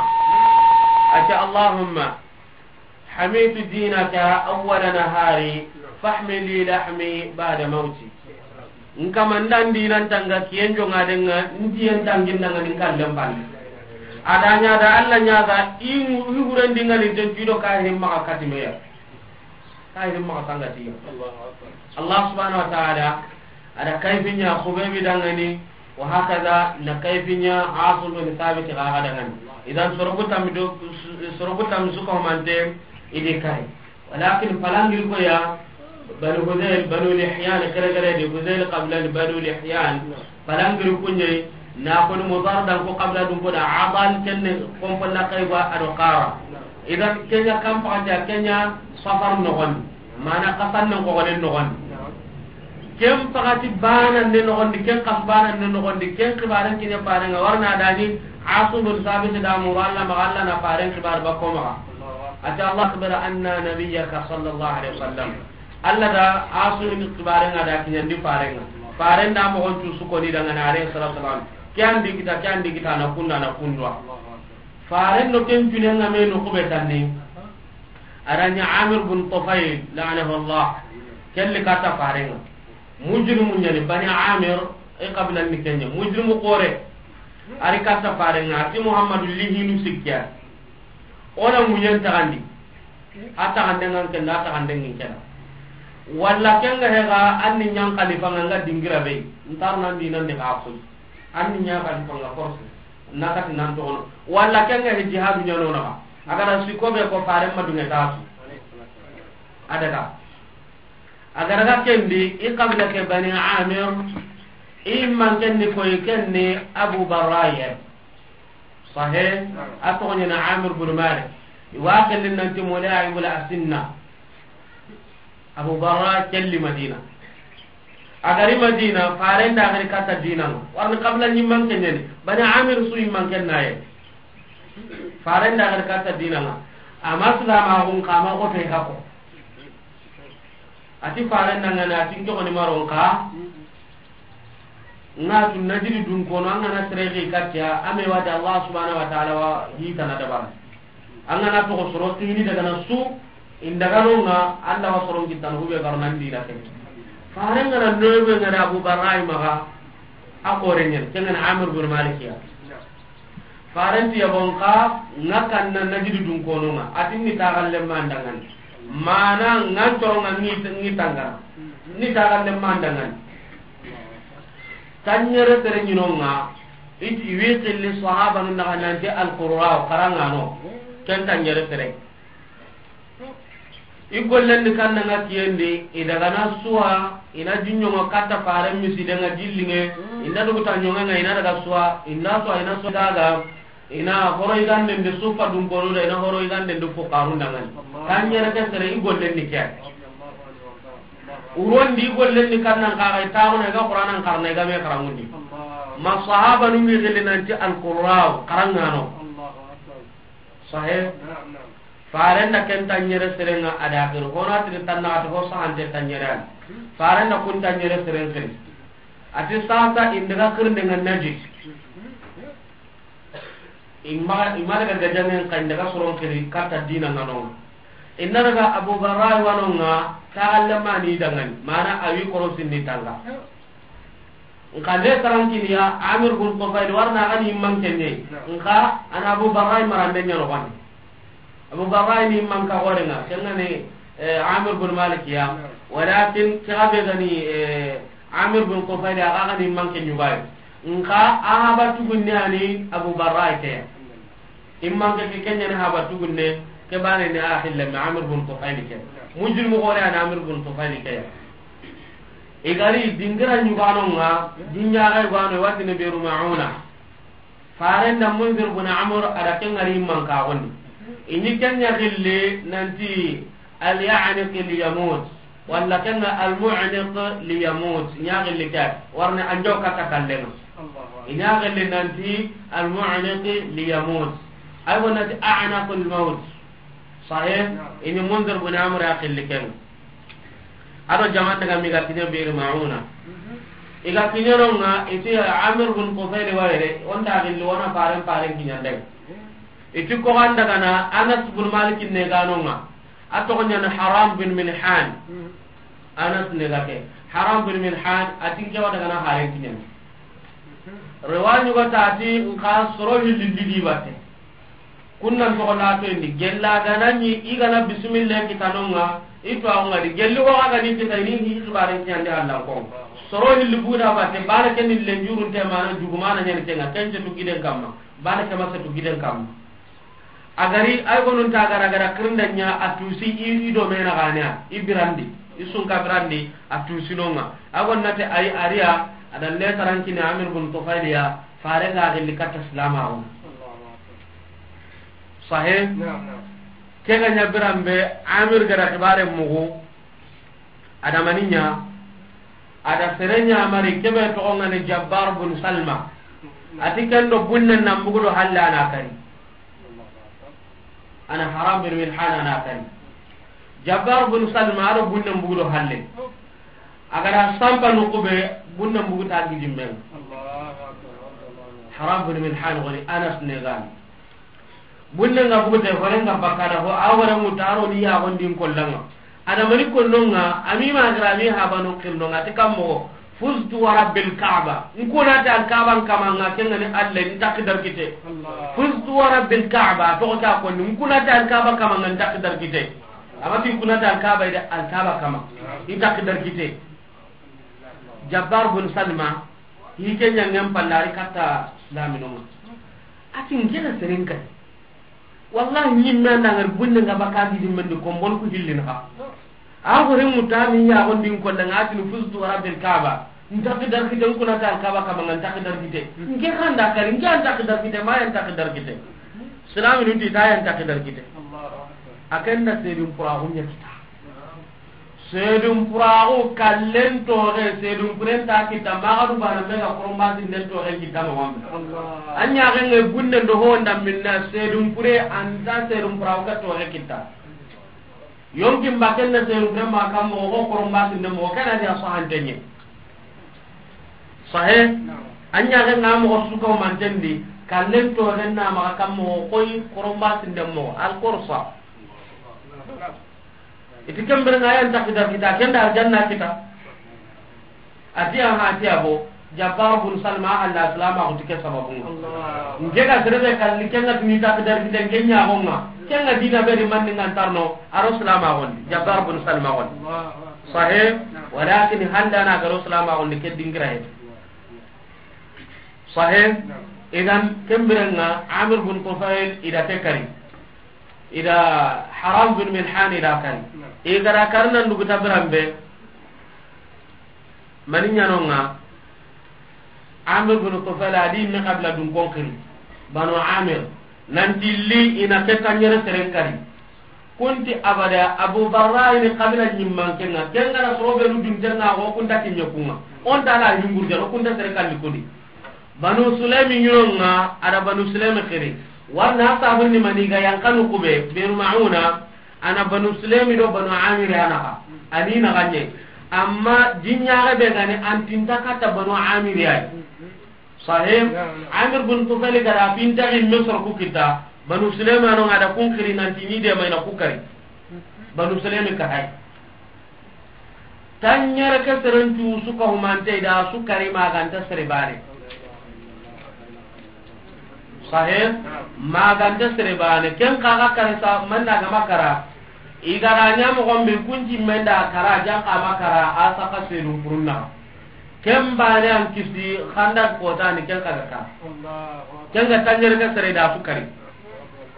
Ati Allahumma. حميت دينك أول نهاري، فاحمل لي لحمي بعد موتي. Nkama ndan dinan tanga kiyen jonga denga, ndiyen tangin danga nin kallen palle. Adanya da Allah ɲaga, i hu-, i huren dinga ni ten tido ka himma ka katimeya. Ka himma ka sangatiya. Allah subhanahu wa ta'ala, ada kayfinya khubebi dangani, Wa hakaza na kayfinya Asim bin Sabit ga ga dangani. Idan soroku tammi do, soroku tammi suka humante idi kari. Walakin palangir ko ya Banu Hudayl, Banu Lihyan, kere kere di Hudayl qabila ni Banu Lihyan. Palangir kunye na ko ni Mudar dan ko qabila dun ko da Adal kenne kompon na kayba ado kara. Idan kenya kampa kenya Safar no gon. Mana kasan nan ko gonen no gon. Ken pagati bana ne nogondi, ken kas bana ne nogondi, ken kibaren kine paren nga warna dani Asim bin Sabit da muru Allah ma Allah na paren kibar ba ko ma. Ati Allah akhbara anna nabiyyaka sallallahu alaihi wasallam. Allah da Asim bin kibaren nga da kinyandi paren nga. Paren da mo gontu su ko ni daga na alayhi salatu wasalam. Kyan di kita, kyan di kita na kunda na kundwa. Paren no ken june nga me no kube tanni. Aranya Amir bin Tufayl la'anahu Allah. Kelli kata paren nga. Mujrimu ɲani Bani Amir, e qabila ni kenya. Mujrimu kore. Ari kata paren nga, ati Muhammadu lihinu sikya. Ona munyen tagandi. Ata gande ngan kenda, ata gande ngin kenda. Walla kenga hega anni nyan khalifa nga dingira be. Ntar nan dinan de ka koy. Anni nya khalifa nga force. Nakati nan to ono. Walla kenga he jihadu ɲano na. Agara sikobe ko paren ma dunga tasu. Adaga. A ga daga ken di, i qabila ke Bani Amir, i man ken ni koy ken ni Abu Barra ya. Sahih, a toxo ɲa ni Amir bin Malik. I wa ken di nanti Mula'i wala Asinna. Abu Barra kelli Madina. A gari Madina, faren da gari katta diina ŋa. Warni kabila ɲimman kenyani. Bani Amir su yimman kennaye. Faren da gari katta diina ŋa. Ama silama gun kama ko te hako. Ati faren da ŋa na, ati n ke ko ni maron ka. Ŋa tu Najidi dun kono, an ga na sere ke kattiya, a me wati Allah subhanahu wa ta'ala wa hi tana dabar. An ga na toxo soro tini daga na su, in daga no ŋa, Allah wa soron kittano, hube garo nan dina ke. Faren ga na noybe ga na Abu Barra'i maga, a korenyen, ken ga na Amir bin Malik ya. Farenti yabon ka, ŋa kanna Najidi dun kono ŋa, atin ni taxalle mandangan. Mana ŋa toro ŋa ni, ni tangana. Ni taxalle mandangan. Tanyere tere ɲino ŋa, i, i wi xilli sahaba nun naxa nanti al-qurra, xarangano. Ken tanyere tere. I gollen di kanna ŋa kiyen di, i daga na suwa, i na jinɲoŋo katta faren misiden ŋa jilliŋe, i na duguta ɲoŋen ŋa, i na daga suwa, i na suwa, i na suwa daga, i na horo yiganden di suffa dun konu da, i na horo yiganden di fuqarun da ŋa ni. Tanyere ke sere i gollen di ke. Uron di i gollen di kanna ŋa xa i taxuna i ga Qur'anan xarana i ga me xaranŋundi. Ma sahaba nu mi xilli nanti al-qurra, xarangano. Sahih. Faren da ken tanyere sere ŋa a da xiri. Hona tiri tanna ati ho sahante tanyere an. Faren da kun tanyere sere xiri. Ati sasa in daga xirinde ŋa Najid. Ima, ima daga gajaŋen xa in daga soron xiri katta diina ŋa no. In na daga Abu Barra'i wa no ŋa, taxalle mani dangani. Mana a wi korosin ni tanga. Nka le tarankiniya Amir bin Tufayl warna a ga ni manke ne. Nka a na Abu Barra'i marande ɲa no wani. Abu Barra'i ni manka gore ŋa, ken ga ni, eh, Amir bin Malik ya. Walakin ke ga be ga ni, eh, Amir bin Tufayl ya, a ga ni manke ɲugayi. Nka a haba tugunne a ni Abu Barra'i ke ya. Imman ke, ke ɲani haba tugunne, ke bane ni a xille me Amir bin Tufayl ke. Mujrimu gore a ni Amir bin Tufayl ke ya. I gari dingira ɲugano ŋa, dinyaga ɲugano, i wa ti ni Bi'ru Ma'una. Faren da Munzir bin Amr a da ken ŋari manka gondi. I ni ken ɲa xille nanti al-ya'niq li yamut. Walla ken ŋa al-mu'niq li yamut. Ɲa xille ke. Warni anjo kata kallenga. I ɲa xille nanti al-mu'niq li yamut. Ay wonati a'naqul mawt. Sahih? I ni Munzir bin Amr a xilli ken. A do jaman daga mi ga kiɲe Bi'r Ma'una. I ga kiɲe no ŋa, i ti Amir bin Tufayl wa yere, o nta xilli, o na faren, faren kiɲandai. I ti ko ga nda ga na Anas bin Malik ne ga no ŋa. A toxo ɲa ni Haram bin Milhan. Anas ne ga ke. Haram bin Milhan, a ti n ke wa daga na faren kiɲandi. Riwaya ɲugo ta ti n xa soro hilli lidi batte. Kunnan toxo na toyindi, gella ga na ɲi, i ga na bismillah kita no ŋa, i to a ŋa di, gelli ko ga ni kita i ni hi xibaren kiɲandi Alla ko. Soro hilli buda batte, bana ken ni lenjurun te mana, jugumana ɲani ken ŋa, ken ce tu giden kamma, bana ke ma se tu giden kamma. A gari, ay gonun ta gara gara kirinda ɲa, a tusi i, i do mena gane ya, i birandi, i sunka birandi, a tusi no ŋa. A gon na ti ay ariya, a da le tarankini Amir bin Tufayl ya, fare ga gilli katta silama o. Sahih? Naam, naam. Ke ga ɲa biran be, Amir ga da xibare mugu, a da mani ɲa, a da sere ɲa mari, ke be toxo ŋa ni Jabbar bin Salma. A ti ken do bunne nan bugu do halle a na kari. A na Haram bin Milhan a na kari. Jabbar bin Salma a do bunne bugu do halle. A ga da sampa no kube, bunne bugu ta gidimben. Haram bin Milhan woni Anas ne gani. Bunne nga bugu te, hore nga bakka da, ho a hore mu taro ni ya gondin kollanga. A da mani konno ŋa, a mi ma gra mi haba no kirno ŋa, ti kammo, fuztu wa rabbil Kaaba. N kuna ta Kaaba n kama ŋa, ken ŋa ni Alla, n takki darkite. Allah. Fuztu wa rabbil Kaaba, to ko ta ko, n kuna ta Kaaba kama ŋa, n takki darkite. Ama ti kuna ta Kaaba ida Al Kaaba kama. N takki darkite. Jabbar bin Salma, hi ke ɲangen pallari katta silamino ŋa. A ti n ke na seren kay. Wallahi, ɲimme anda ngar bunne nga baka gidi mendi kombon ku hillin xa. A hore muta mi ya gondin ko da ngati fuztu wa rabbil Kaaba. N takki darkite, n kuna ta Kaaba kama nga n takki darkite. N ke kanda kari, n ke an takki darkite, ma ya n takki darkite. Silaminu ti ta ya n takki darkite. A ken da serin pura hunya kita. Seedun puraaxu kallen tooxe, seedun puren ta kita, maxa du bana me ga koromba sinden tooxe kita moxon be. A ɲaxen ŋa gunnen do ho nda minna, seedun pure anta seedun puraaxu ka tooxe kita. Yonkin ba ken na seedun pure ma kam moxo, ko koromba sinden moxo, ken na dia sahantenye. Sahe, a ɲaxen ŋa moxo su ka humanten di, kallen tooxen na maxa kam moxo, koy koromba sinden moxo, al korsa. Iti kembere ŋa yan takidar kita, ken da arjanna kita. Ati aha, ati abo, Jabbar bun Salma, Allah salama ko tike sababu. Nke ga serebe kalli ken ŋa tini takidar kita, ken ɲa gonga. Ken ŋa dina be di manni ngan tarno, aro salama gon, Jabbar bun Salma gon. Sahe, walakin handa na garo salama gon ke dingira he. Sahe, idan kembere ŋa Amir bun Tufail ida te kari. Ida Haram bin Milhan ida kari. I gara karna ndugu tabirambe. Mani ɲanonga Amir bin Tufail adi me kabila dun konkiri. Banu Amir. Nanti li ina ke kanyere seren kari. Kunti abada Abu Barra ini kabila nyimman kenga. Kenga na sobe lu dun tenga ko kunta kinye kunga. On tala yungur jaro kunta sere kalli kudi. Banu Sulaimi ɲinonga, ada Banu Sulaimi xiri. Warna sabun ni mani ga yankanu kube, Biru Mauna, ana Banu Sulaimi do Banu Amir ana ka. Ani na ganye. Amma jinyaxe be gani antinta kata Banu Amir yayi. Sahih? Amir bin Tufail gara pinta in Misr ku kita, Banu Sulaimi ano ngada kun xiri nanti ni de mayna ku kari. Banu Sulaimi ka hay. Tanɲere ke seren cu su ka humante da su kari maganta sere bane. Sahe, maganta sere bane. Ken kaga kare sa manna gama kara. Igara ɲa moxon be kunci menda kara, jan kama kara, a saka sedu kurunna. Ken bane an kisi xanda kota ni ken kaga ka. Ken ga tanɲere ke sere da su kari.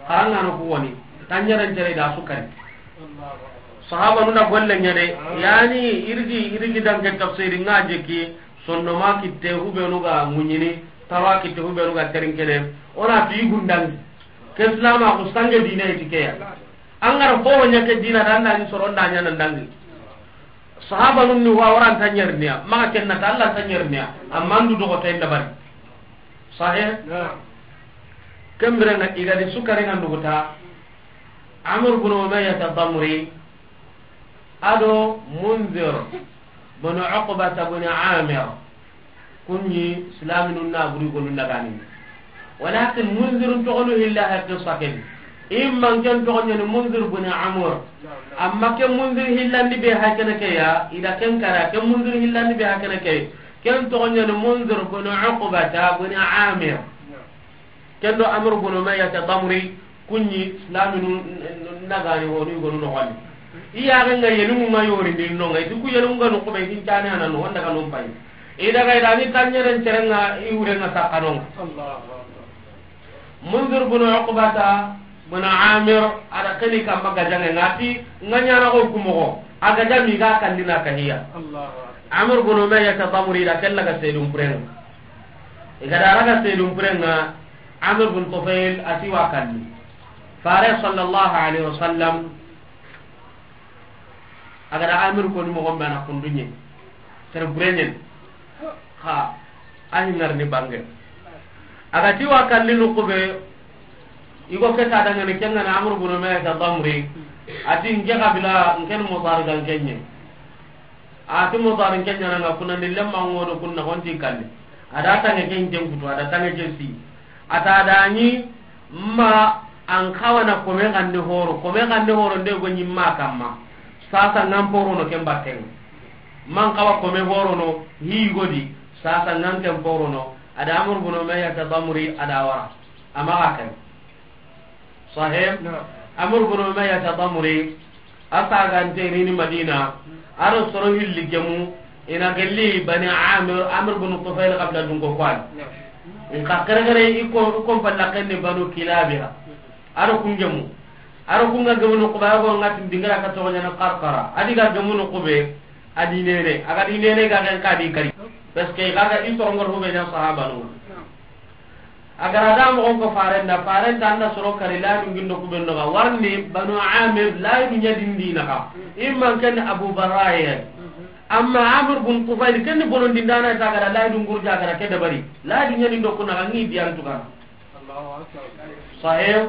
Xaranga no ku woni. Tanɲere sere da su kari. Sahaba nuna golle ɲa de, yani irigi, irigi danke tafsiri nga jeki, sonno ma kitte hubenu ga muɲini, tawa kitte hubenu ga terinkene, ona fi gundangi. Ke islama ko sange dina itikeya. Angara ho ɲa ke dina danda ni soronda ɲa nandangi. Sahaba nun ni wa waran tanyerniya, ma kenna ta Allah tanyerniya, amandu dogo tenda bari. Sahih? Kembere na igadi sukari na nuguta, Amr bin Umayyah Ad-Damri, ado Munzir bin Uqbata bin Amir, kunni silaminun na buri gonu nagani. Walakin Munzirun togonu hilla ha qissa ken. Imman ken togonya ni Munzir bin Amr. Amma ken Munzir hillandi be ha kene ke ya, ida ken kara, ken Munzir hillandi be ha kene ke. Ken togonya ni Munzir bin Uqbata bin Amir. Ken do Amr bin Umayyah Ad-Damri kunni silaminu nagani woni gonu no wani. Iya ga nga yelu nga yori din no nga itu ku yelu nga no ko be hin tane ana no wanda ga no pai. Ida ga ida ni tanyere tere nga i wure nga sakano. Allahu Akbar. Munzir bin Uqbata bin Amir ada kani kamba gajanga ngati nganya na ko kumogo. Aga jami ga kandina kahiya. Allahu Akbar. Amr bin Umayyah Ad-Damri da kella ga sedum prenga. Igada raga sedum prenga Amir bin Tufail ati wa kalli. Fare sallallahu alaihi wasallam agada Amir ko ni mo gombe na kundunye. Tere burenyen. Ha, ahi ngar ni bange. Agati wa kalli nukube. Igo ke ta dangane kenga na Amr bin Umayyah Ad-Damri. Ati nge kabila ngen Mudar gan kenye. Ati Mudar kenye na nga kuna ni lemma ngodo kunna konti kalli. Ada tange ken ken kutu, ada tange ken si. Ata dani ma an kawana kome gande horo, kome gande horo nde go nyimma kamma. Sasa ngam porono ken batten. Man kawa kome horono hi godi, sasa ngam ken porono. Ada Amr bin Umayyah Ad-Damri ada wara. Ama akan. Sahib, Amr bin Umayyah Ad-Damri, a sagante rini Madina, aro soro hilli gemu, ina gelli Bani Amir, Amr bin Tufail kabila dunko kwan. In ka kere kere iko, iko palla kenni Banu Kilabiha. Aro kun gemu. Aro kun ga gemu no kuba go ngati dingara ka to nyana Qarqara. Adi ga gemu no kube, adi nene, aga di nene ga ken ka di kari. Parce que ga ga i soro ngor hube nya sahaba no. A ga ra da moxon ko faren da, faren ta an da soro kari lahidu ŋa n do ku be noxo, warni Banu Amir lahidu ɲa di n di naxa. I ma n ken Abu Barra ya. Amma Amir bun Tufayl ken ni bonondi n da na ta, a ga ra lahidu ŋurja, a ga ra ke dabari. Lahidu ɲa di n do ku naxa, ŋi di an tu ga na. Sahih.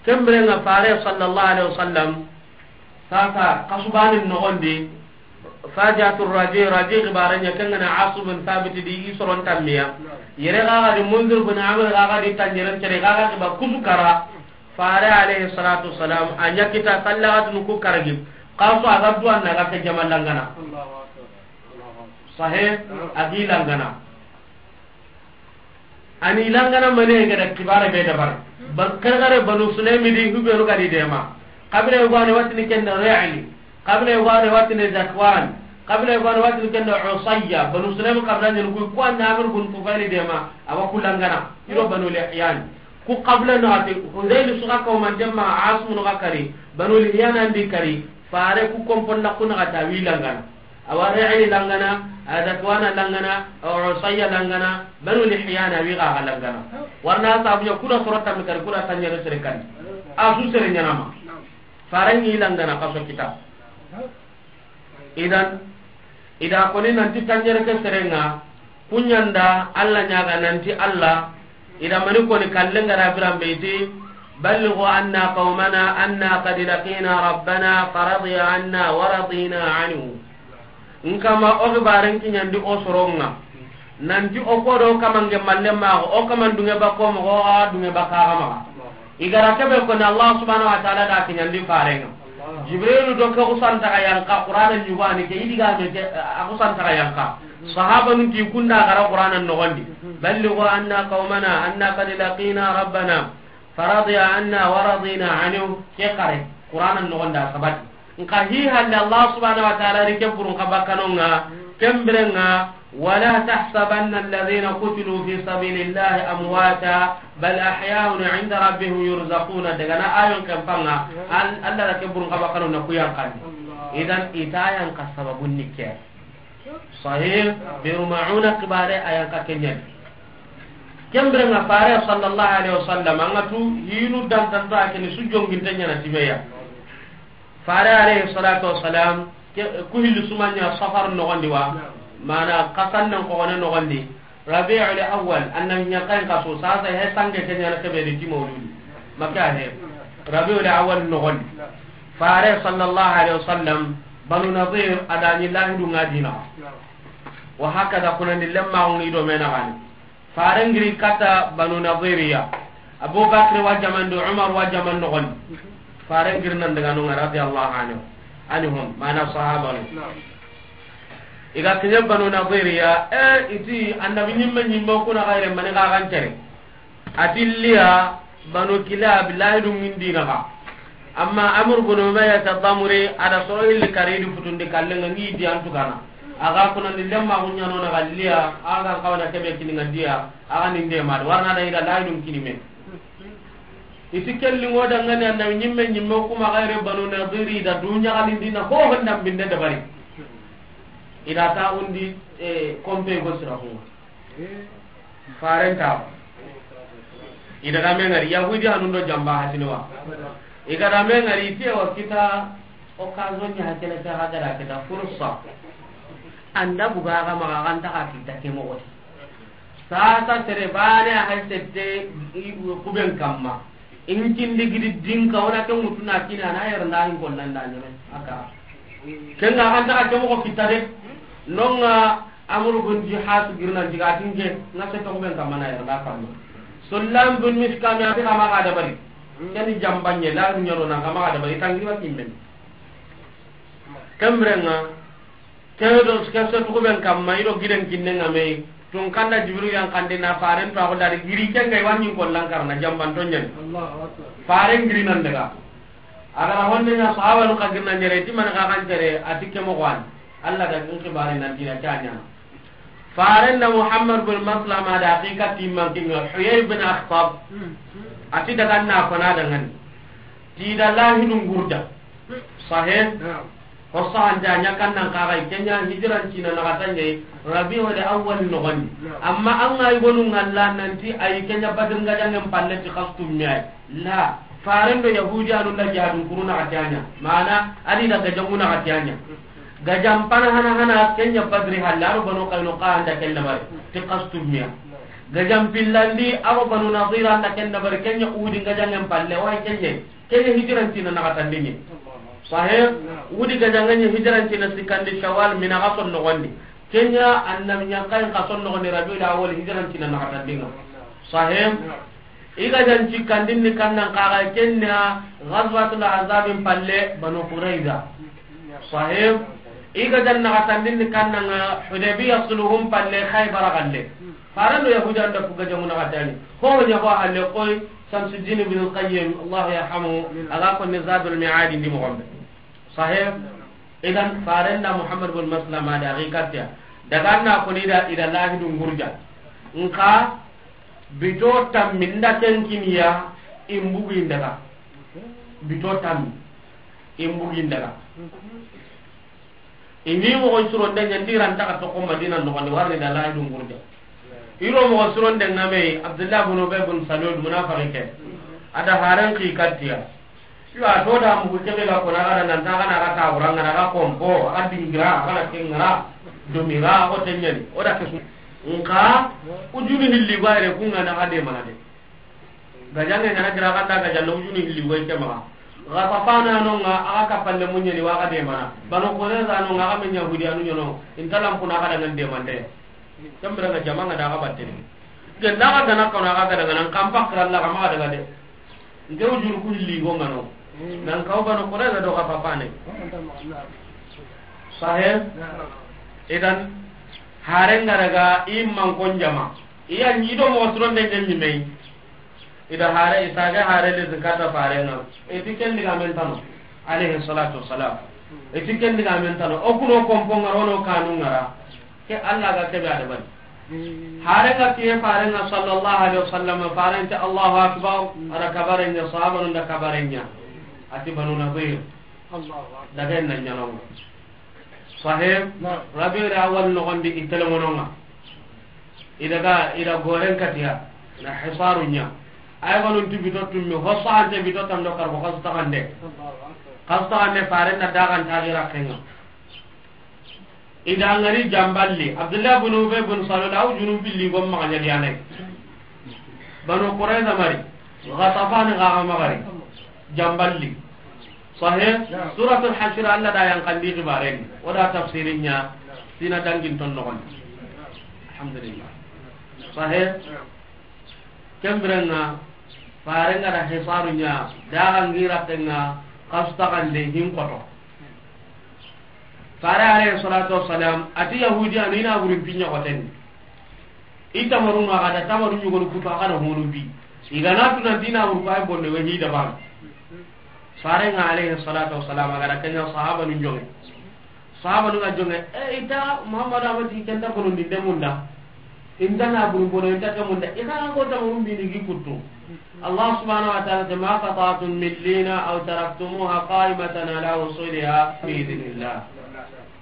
Ken biren ŋa fare sallallahu alaihi wasallam, sasa, kasu baane noxon di, Faji'atu Raji, Raji xibaare ɲa, ken ga na Asim bin Thabit di, i soron tammiya. Yere ga ga di Munzir bin Amir ga ga di tanjiren tere ga ga xiba kusu kara. Fare alayhi salatu wassalam, a ɲa kita sallaxatunu ku karagi. Kasu a ga duwa na ga ke jama langana. Sahih, a gi langana. A ni langana mane ga da kibare be dabari. Ba-, kare kare Banu Sulaimi di hubenu ga di dema. Kabila yogo a ni watini ken da Ri'li. Kabila yogo a ni watini Zakwan. Kabila yogo a ni watini ken da Usayya. Banu Sulaimi kabila ɲa ni ku, ku an da Amir bun Tufayl dema. A wa ku langana. I do Banu Lihyan. Ku kabila na ati Hudayl su ga kawman dema, Asim no ga kari. Banu Lihyan an di kari. Fare ku kompon na ku na ga ta wi langana. Awa Ri'li langana, a Zakwana langana, awa Usayya langana, Banu Lihyana wi ga ga langana. Warna sabu ya kuda soro tammi kari, kuda tanjiren sere kan. A su sere ɲaana ma. Faren ŋi langana kaso kita. Idan, i da koni nanti tanjiren ke sere ŋa, Ku ɲa n da Alla ɲaaga nanti Alla, i da mani koni kallen ga ra biran be i ti, "Ballighu anna qawmana anna qad laqina rabbana faradiya anna wa radina anhu." N kama o xibaaren kiɲandi o soron ŋa. Nanti o ko do kaman ge malle maxa, o kaman dunge ba ko moxo, o ga dunge ba kaxa maxa. I ga ra kebe koni Allah subhanahu wa ta'ala da kiɲandi faren ŋa. Jibrilu do ke xusantaxa yanqa Qur'ana ɲugani ke, i di ga me ke, a xusantaxa yanqa. Sahabanun ti kunda ga ra Qur'ana noxon di. "Ballighu anna qawmana anna qad laqina rabbana faradiya anna wa radina anhu." Ke xare Qur'ana noxon da sabati. Nka hi halle Allah subhanahu wa ta'ala ri ke burun xa bakkanonga, ken birenga, "Wala tahsabanna alladhina qutilu fi sabilillahi amwata, bal ahya'un 'inda rabbihim yurzaquna." Daga na ayon kan panga, al-, Allah da ke burun xa bakkanonga ku yanqandi. Idan i ta yanqa sababun ni ke. Sahih, Biru Ma'una kibare a yanqa ke ɲa ni. Ken birenga fare sallallahu alaihi wasallam, anga tu hinu dantanto a ke ni su jonginte ɲa na timeya. Fare alayhi salatu wassalam, ke, ku hilli su ma ɲa Safar noxon di wa, mana kasannen xoxone noxon di, Rabi'ul Awwal, annabi ɲa kan kaso, sasa he sange ke ɲa na kebe di ti Mawludi. Maka he, Rabi'ul Awwal noxon di. Fare sallallahu alaihi wasallam, Banu Nadir, a da ɲi lahidu ŋa dina. Wa hakada kunandi lemma ngi do mena gani. Faren giri kata Banu Nadiriya. Abu Bakr wa jamandu, Umar wa jamandu gon. Faren giri nan daga nunga radiyallahu anhu. Anhum, mana sahaba no. I ga kiɲe Banu Nadiriya, e, i ti annabi ɲimme ɲimme kuna xayre mani ga gan tere. A ti liya Banu Kilab lahidu ŋa n di naxa. Amma Amr bin Umayyah Ad-Damri, a da soro hilli kari di futundi kallenga ŋi di antu gana. A ga kunandi lemma ku ɲa no na ga liya, a ga n xawa na kebe kini ŋa diya, a ga ni n de ma, warna da i da lahidu ŋa kini me. I ti kelli ŋo dangani annabi ɲimme ɲimme kuma xayre Banu Nadiri da du ɲaxalindi na ho honda binde dabari. I da ta undi, e, kompe go sira hunga. Faren ta. I daga me ŋari, Yahudi hanun do jamba hasini wa. I ga da me ŋari, i ti wa kita occasion ɲa hakene ta ga da kita fursa. Anda buga ga maxa ga nta ga kita ke moxo ti. Sasa sere bane a hay sette i kuben kamma. In kindi gidi dinka wona ke mutuna kina na yer nda in kollan da ɲeme. Aka. Kenga ga nta ga ke moxo kita de. Nonga Amru bin Jihas girnan diga tinge, na se to ben kamana ya na kamma. Sullam bin Miskam ya kama ga dabari. Kani jambanye la ru nyaro na kama ga dabari tangi wa kimben. Kamrenga, ke do ke se to ben kamma i do giden kinne ngame. Tun kanda Jibril yan kande na faren to ko dari giri kenga wani ko lankar na jamban to nyen. Allahu Akbar. Faren giri nan daga. A ga ra honne ɲa sahaba nu xa girna ɲere ti man xa xan tere a ti ke moxo wa ni. Allah da kin xibaari nan dina ta ɲa. Faren da Muhammad bin Maslama da haqiqa ti man kinga Huyay bin Akhtab. A ti daga na ko na da ngani. Ti da lahidu ŋurda. Sahih. Ho sahante a ɲa kan nan kaxay, ke ɲa hijiran cina naxata ɲa yi, Rabiul Awwal noxondi. Amma an ga yigonu ŋalla nanti a yi ke ɲa Badri gajaŋen palle ti xasu tummi ay. La, faren do Yahudiyanu nda jihadun kuru naxati a ɲa. Mana, a di da gajaŋu naxati a ɲa. Gajan pana hana hana ke ɲa Badri halle, a do Banu Qaynuqa an da ken dabari ti xasu tummi ay. Gajan pillandi, a do Banu Nadir an da ken dabari, ke ɲa Uhudi gajaŋen palle, o ay ke ɲa yi. Ke ɲa hijiran cina naxatandi ɲa yi. Sahih? Uhudi gajaŋen ɲa hijiran cina sikkandi Shawwal, mina xason noxondi. Ke ɲa annabi ɲankayin xason noxondi Rabiul Awwal hijiran cina naxatandi ŋa. Sahih? I gajan sikkandin ni kan nan kaxa ken ɲa Ghazwatul Ahzabin palle Banu Qurayza. Sahih? I gajan naxatandin ni kan nan ŋa Hudaybiya sulhun palle Khaybara galle. Faren do Yahudiyan da ku gajaŋu naxati a ɲa. Ho ɲa ho halle koy Shamsuddin Ibn Qayyim, Allah yarhamu, a ga konni Zadul Mi'ad ndi moxon be. Sahih? Idan faren da Muhammad bin Maslama da a xi kattiya. Daga na koni da i da lahidun gurja. Nka bito tammi nda ken kiniya in bugu in daga. Bito tammi in bugu in daga. I ni moxo suronde ɲa ndi ranta xa toxo Madina noxondi, warni da lahidun gurja. I ro moxo suronde ŋa me, Abdullah bin Ubay bin Salul, munafiqi ke. A da haren xi kattiya. Yo, a to da mugu kebe ga kona ga da nan ta ga na ga ta wuranga na ga kompo, a ga dingira, a ga na kengara, domira, o tenyani, o da kesu. Nka ujunu hilli ga ire ku ŋa na ga de mana de. Gajaŋe ŋa na gira ga da gajanno ujunu hilli ga ke maxa. Ghatafana no ŋa a ga kapalle munyani wa ga de mana. Banu Qurayza no ŋa a ga men Yahudiyanu ɲono. Inta lampuna ga da ŋa de mande. Kembere ŋa jama ŋa da ga batte. Ke na ga gana kono a ga gana ŋa nan kampa kra la ga ma ga daga de. Nke ujunu ku hilli go ŋa no. Nan kaw Banu Qurayza do Ghatafane. Sahih? Idan haren ga daga i man kon jama. Iya ni do moxo suronde ŋa ɲi me yi. I da hare, i sage hare le zikata faren ŋa. I ti ken digamen tano, alayhi salatu wassalam. I ti ken digamen tano. O kuno kompo ŋa ro no kanu ŋa ra. Ke Allah ga kebe a da bari. Hare ga kiye faren ŋa sallallahu alayhi wasallam, faren ti Allahu akbar, a da kabaren ɲa, sahabanun da kabaren ɲa. A ti Banu Nadir. Daga en na ɲa no. Sahih? Rabiul Awwal noxondi i telemono ŋa. I daga, i da goren katiya, na hisaru ɲa. Ay gonun ti bito tummi, ho sahante bito tando karbo xasu taxande. Xasu taxande faren na dagan taxira kenga. I da ngari jamballi, Abdullah bin Ubay bin Salul, aw junun pilli gom maxa ɲa diyanay. Banu Qurayza mari, Ghatafani gaga magari, jamballi. Sahih? Suratul Hashr Allah da yan kandi xibaren. O da tafsirin ɲa, sina dangin ton noxon. Alhamdulillah. Sahih? Kembirenga, farenga da hisaru ɲa, daga ngira tenga, kasu taxande hin koto. Fare alayhi salatu wassalam, ati Yahudiyanu i na burin pinya koten. I tamarun ŋa ga da tamaru ɲugonu kutu a ga da honu bi. I ga na tu nanti i na buru ko ay bonne we hi da ban. Farenga alayhi salatu wassalam a ga da kenya sahabanu jonge. Sahabanu ga jonge, e, i ta Muhammadu amati kenta kono ndi demunda. Inta na buru bono inta kemunda. I ga ko tamarun bi ni gi kutu. Allah subhanahu wa ta'ala te, "Ma qata'tum min lina aw taraktumuha qa'imatan ala usuliha bi idhnillah."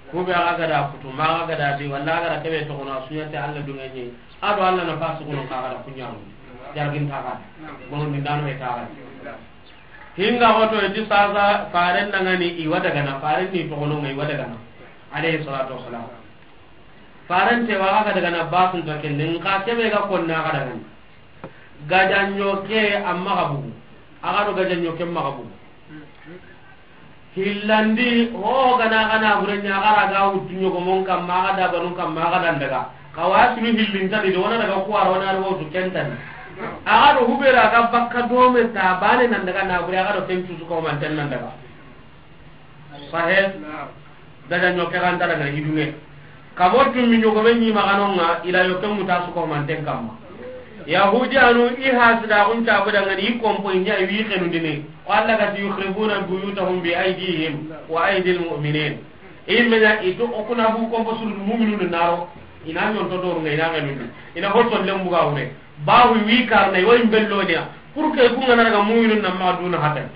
Ku be a ga da kutu, ma a ga da di, walla a ga da kebe to kono, a suɲa te Allah dunga ni. A do Allah na fasu kono ka ga da kuɲamu. Jargin ta ga. Bono ni dano e ta ga. Hinga hoto e ti sasa faren dangani i wa dagana, faren ni to kono ngai wa dagana. Alayhi salatu wassalam. Faren te wa ga dagana basun ta kende, nka kebe ga konna ga dagana. Gajanyo ke amma ga bugu. A ga do gajanyo ke ma ga bugu. Hillandi, ho gana gana burenya gara ga wutu ɲogomon kamma, ga da banun kamma, ga dan daga. Ka wa sunu hillin tani do, wona daga kuwara, wona daga wutu kentani. A ga do hubera ga bakka dome ta bane nan daga na bure, a ga do kencu su ko man ten nan daga. Sahih? Gajanyo ke ganta daga hidunge. Kamo tummi ɲogome ɲi maganonga, i la yoke muta su ko manten kamma. Yahudiyanu i hasida kun ta buda ngani i kompo i ɲa i wi xenundini. Ko Allah ga ti, "Yukhribuna buyutahum bi aydihim wa aydil mu'minin." I menya i to o kuna bu kompo suru mu'minun naro. I na ɲonto doru ngai na xenundi. I na hoto lembu ga wure. Bawu wi karna i wa imbellonia. Pour que ku ngana daga mu'minun na maduna hatan.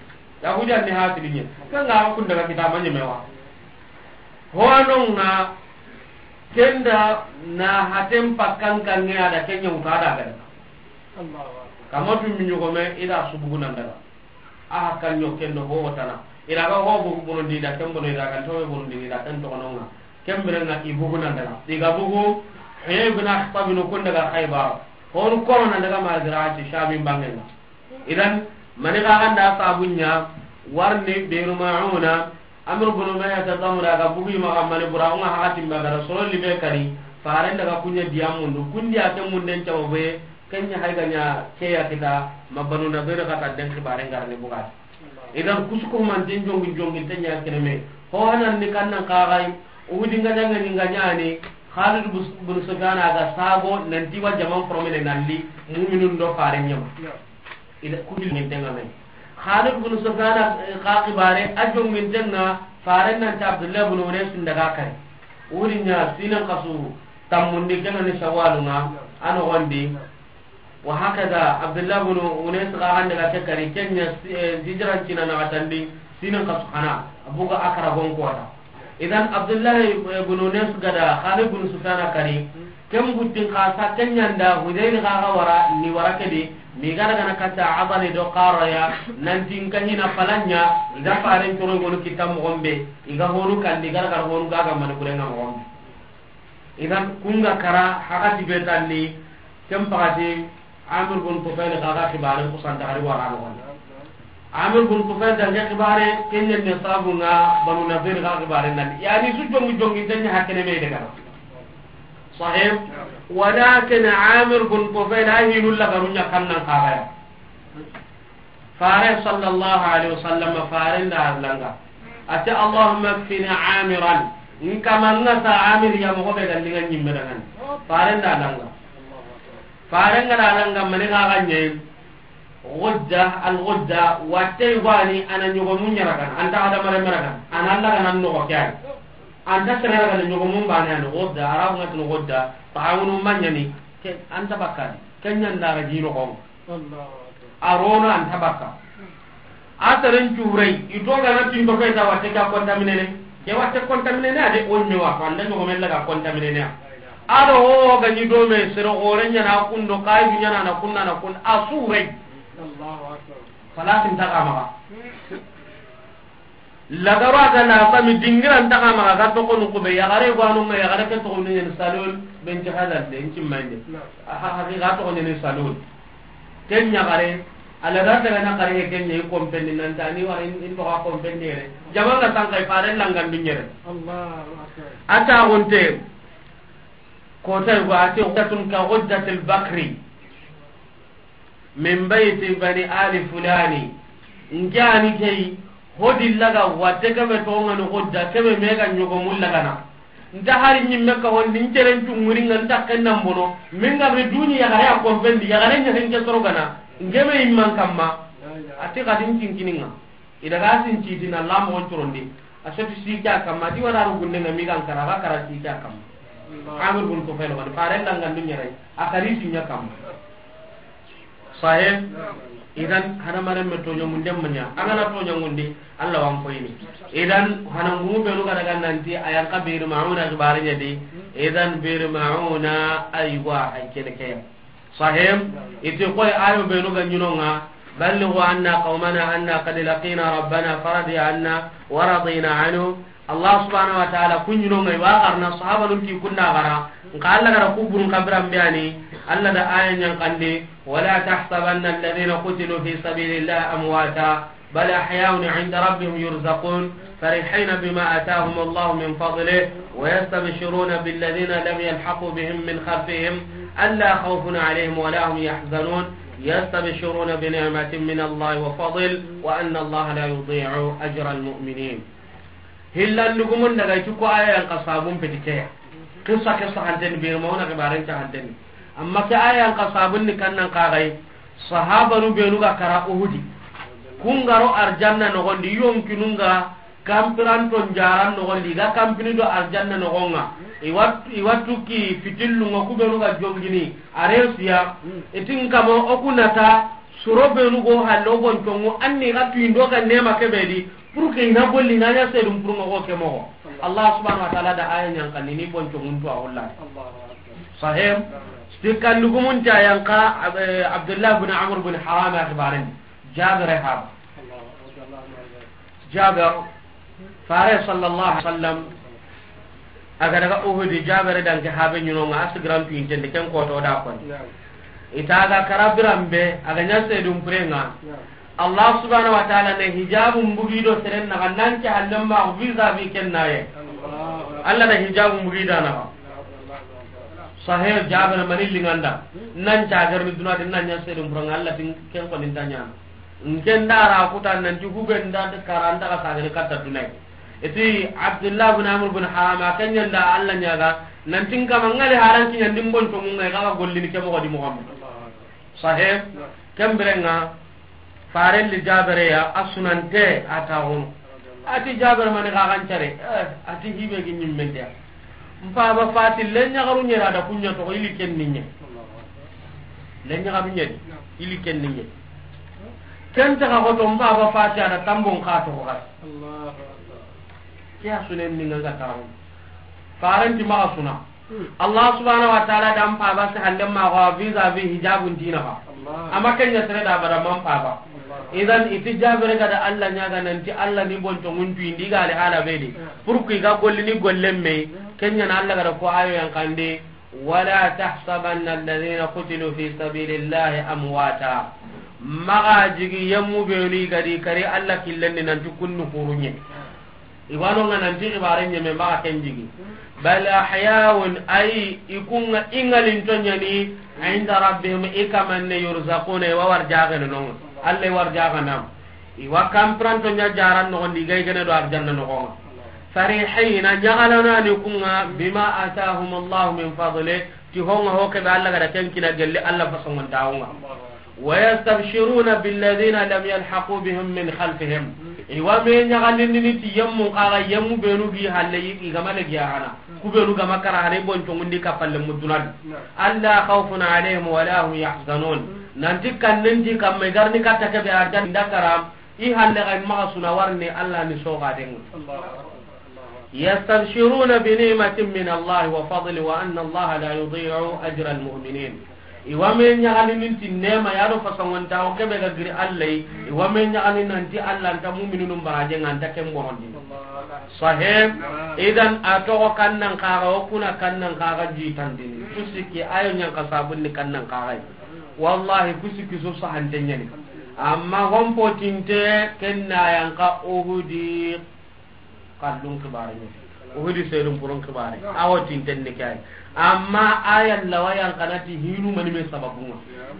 Yahudiyan ni hasidi ɲe. Kanga kun daga kitama ɲemewa. Hono nga kenda na haten pakkan kange ada kenya uta da gada. Kama tu mi ɲogome ida subugu nan daga. A hakkan ɲo kendo ho tana. Ira ga ho bugu bonondi da ken bono ira ga towe bonondi da ken to nonga. Ken birenga i bugu nan daga. Iga bugu he bina khatabinu kun daga Khaybar. Honu kono nan daga ma gira ci Shamin bangenga. Idan, mani xa ganda sabunya warni Biru Mauna, Amr bin Umayyah ta Damra ga bugi ma ga mani bura nga hakatin ba gara soro libe kari, faren daga kunya diya mundu, kundi ake munden cawo be, kenya haiga nya keya kita, ma Banu Nadir ga ta den xibaren garni buga. Idan, kusuko man den jongi jongi tenya keneme. Ho hanan ni kannan kagai, Uhudi nga janga ni nga nyani, Khalid bus-, bin Sufyan aga sago, nanti wa jaman promene nalli, mu'minun do faren nyama. Ida kubil min tenga men. Khalid bin Sufyan, eh, ka kibare, a jongin tenga, faren nan ta Abdullah bin Unais daga kari. Wuri nya sinan kasu, tammundi kena ni Shawwal nga, ano gondi. Wa hakaza, Abdullah bin Unais ga hande ga ke kari, kenya si-, eh, hijran cina na watandi, sinan kasu hana, abuga akara gon kota. Idan Abdullahi, eh, bin Unais gada Khalid bin Sufyan kari, ken buttin kasa kenyanda Hudayl ga ga wara ni wara kedi, mi gara gana kata Abani do Qaraya, nanti nkahina palanya, iga faren toro gonu kita mogombe, iga honu kandi gara gara honu gaga mani kurenga mogombe. Idan kunga kara hakati betanni, ken pakati Amir bin Tufail ga ga kibaren kusanta hari wara no. Amir bin Tufail da ga kibare, kenya ne sabu nga Banu Nadir ga kibare nan. Yani su jongi jongi tanya hakene me daga. Sahib, walakin Amir bin Tufail ahinul la garunya kannan kagaya. Fare sallallahu alaihi wasallam fare nda langa. Ati Allahumma kfini Amiran. Nkamanga sa Amir ya mo be gallinga nyimme dangan. Fare nda langa. Faren ga da langa mani ga ganye. Gudda, al gudda, watte wani ana nyogo mun yaragan, anta ada mare maragan, ana Allah ga nan no kyan. Anta sere ga nyogo mun bana no gudda, arab ngat no gudda, ta'awunu manyani, ke anta bakkan, kenyan da ga jino ko. Arona anta bakka. A taren curai, ito ga na tindo kai ta watte ka contaminé ne. Ke watte contaminé ne, ade o me wa, ko anda nyogo men la ga contaminé ne. Ado ho ga ni do me sero gore nya na kundo kai dunya na na kunna na kun a surai. Falasin ta kama. Lagaro a ga na sami dingira nta kama ga to ko nukube ya gare gwanu nga ya gare ke to ni Salul ben ci halal de ci mande. Aha, ha ga to ni Salul. Ken ɲa gare, a la ga daga na gare, ken ɲa i kompendi nan ta ni wara in, in to ga kompendi yere. Jama nga tan kai fare langan dunyere. Allahu akbar. Ata gonte, ko tay go ate guddatun ka guddatil bakri. Min bayti bani ali fulani. Nke ani kei, hodi laga watte kebe tonga no gudda, kebe mega nyogo mulla gana. Nta hari nyimme ka wonni, nceren cunguri nga nta kennan bono. Min ga be duni yagare a kompendi, yagare ɲa henke soro gana. Ngeme imman kamma. Ati kadin cinkininga. I daga sin citi na lamo corondi. A soti sike a kamma, ti wada ro gunde nga mi gan kara, ga kara sike a kamma. Amir bin Tufail wani, faren dangan dunyere, a kari sinya kamma. Sahib, idan hadamaren me toɲa munde manya, an gana toɲa munde, Allah wan koyini. Idan hanan gumu benu ga daga nanti, ayan ka Bi'r Ma'una gibare ɲa di, idan Bi'r Ma'una aywa hay kene kaya. Sahib, iti koy ayo benu ga ɲinonga, ballighu anna qawmana anna qad laqina rabbana faradiya anna wa radina anhu. Allah subhanahu wa ta'ala kun ɲinonga iwa garna sahabanun ti kunna gara. Nka Allah gara kuburun kabiran biyani. Allah da aya ɲan kandi, wala tahsabanna alladhina qutilu fi sabilillahi amwata. بل أحياء عند ربهم يرزقون فرحين بما آتاهم الله من فضله ويستبشرون بالذين لم يلحقوا بهم من خلفهم ألا خوف عليهم ولا هم يحزنون يستبشرون بنعمة من الله وفضل وأن الله لا يضيع أجر المؤمنين. Hillandugumun daga iti ko aya yan ka sabun peti keya. Kissa kissa hanteni, Bi'r Ma'una gibaren ta hanteni. Amma ke aya yan ka sabun ni kannan kagai. Sahabanu benu ga kara Uhudi. Kungaro arjanna nogondi, yonkinunga kampiranton jaran nogondi, ga kampini do arjanna nogonga. Iwat-, iwatuki fitillunga kubenu ga jongini. Aresiya, itin kamo okunata, suro benu go hallo boncongu, anni ga tuindo ga nema kebedi. Pour que i na golli, i na ɲa seedun pour ŋa ko ke moxo. Allah subhanahu wa ta'ala da aya ɲa n xanni ni bonco ŋuntu a wulla. Sahih. Ti kallugumun ta yan xa, eh, Abdullah bin Amr bin Haram ya xibaaren. Jabir haba. Jabir, Faare sallallahu alaihi wasallam, a ga daga Uhudi, Jabir danke habe ɲi no ŋa, a sigiran tu intende ken ko to da kon. Naam. I ta ga kara biran be, a ga ɲa seedun pure ŋa. Naam. Allah subhanahu wa ta'ala ne hijabun bugi do seren na ga nan ke hallen ma vis-à-vis ken na ye. Allahu Akbar. Allah da hijabun bugi da na ga. Sahih, Jabir mani linganda. Nan ca garni duna de nan ɲa seedun pure ŋa, Allah tin ken ko nin ta ɲa. N ken da ra kuta nan ti hube nda de karanda ka sagari katta dunai. Iti Abdullah bin Amr bin Haram, a ken ɲa nda Allah ɲa ga, nan tin kama ŋali haran ki ɲa n di bonco ŋun ŋa, i ga ga gollini ke moxo di moxo me. Sahih. Ken bire ŋa, Faaren li Jabir ya, a sunante a ta hono. A ti Jabir mani ga gan care, eh, a ti hibe gi ɲimmen de. N paba fati le ɲagaru ɲera da kunya to ili ken ni ɲe. Le ɲagaru ɲeri, ili ken ni ɲe. Ken ta ga ko to n paba fati a da tambon ka to ko ga. Allahu Akbar. Ke ya sunen ni ŋa ga ta hono. Faaren ti maxa suna. Allah subhanahu wa ta'ala da n paba si hallen ma ko vis-à-vis hijabun dina ba. Amma ken ɲa sere da bada man paba. Idan iti Jabir ga da Allah ɲa ga nan ti Allah ni bonco ŋuntu indi ga ali hala be di. Pour que i ga gollini gollen me, ken ɲa na Allah ga da ko ayo yan xande, "Wala tahsabanna alladhina qutilu fi sabilillahi amwata." Maxa jigi yemmu benu i ga di kari Allah killen di nan ti kunnu hurunye. I wa no ŋa nan ti xibaare ɲeme maxa ken jigi. Bal ahya'un, ay, i ku ŋa i ŋalinto ɲa ni, inda rabbihim, i kaman ne, yurzaquna, i wa warjaxene no ŋa. Allah i warjaxana. I wa kanpiranto ɲa jaran noxon di, i ga i gene do arjanna noxon ŋa. Farihina, ɲaxalana ni ku ŋa, bima atahum Allahu min fadli, ti ho ŋa ho ke be Allah ga da ken kini gelli Allah fasongontaxu ŋa. Wa yastabshiruna billadhina lam yalhaqu bihim min khalfihim. I wa me ɲaxalindini ti yemmun xa ga, yemmu benu gi halle i ga ma legi yaxana. Ku benu ga ma kara hana i bonco ŋun di kappalle mudunadi. Alla khawfun alayhim wa la hum yahzanun. Nan ti kannen ti kamma i ga ri ni katta ke be arjanna da kara. I halle ga i maxa suna warni Allah ni soxaden ŋa. Yastabshiruna bi ni'matin min Allah wa fadli wa anna Allah la yudhi'u ajra al-mu'minin. I wa me ɲaxalindini ti neema ya do fasongontaxu ke be ga giri Allah yi. I wa me ɲaxalindini nan ti Allah nta mu'minunun barajen ŋa, a nta ken bonondi. Sahih. Idan a toxo kannan xa ga, o kuna kannan xa ga jitandini. Ku sikki ayo ɲa n xa sabunni kannan xa ga. Wallahi ku sikki su sahante ɲa ni. Amma hon potinte ken na ya n xa Uhudi. Kallun xibaare ɲa. Uhudi seedun purun xibaare. A wo tinten ni ke ay. Amma a ya n lawa ya n xa na ti hinu mani me sababun ŋa.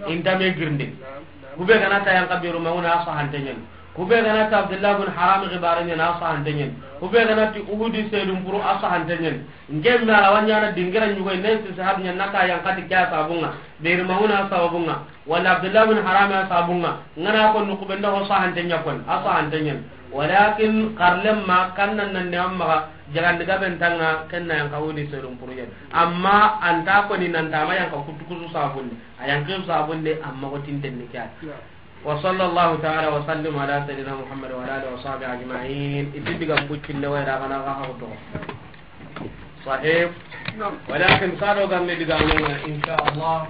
I nta me girinde. Ku be ga na ta ya n xa Biiru Mauna, a sahante ɲa ni. Ku be ga na ta Abdullah bin Haram xibaare ɲa ni, a sahante ɲa ni. Ku be ga na ti Uhudi seedun puru, a sahante ɲa ni. N ke me a lawa ɲa na dingira ɲugo ne si sahab ɲa na ta ya n xa ti ke ya sababun ŋa. Biiru Mauna sababun ŋa. Wala Abdullah bin Haram ya sababun ŋa, n ga na ko nuxu be nda ho sahante ɲa koni, a sahante ɲa ni. Walakin xarlen ma kannan nan ne amma ga jagandi ga ben tanga ken na ya n xa Uhudi seedun puru ɲa ni. Amma a nta koni nan ta ma ya n xa kutu ku su sabunde, a ya n xa sabunde amma ko tinten ni ke ay. Wa sallallahu ta'ala wa sallim ala sayyidina Muhammad wa ala alihi wa sahbihi ajma'in. Iti diga buccinne wa ira ga na ga ha to. Sahih. Walakin sado gande diga no, insha Allah.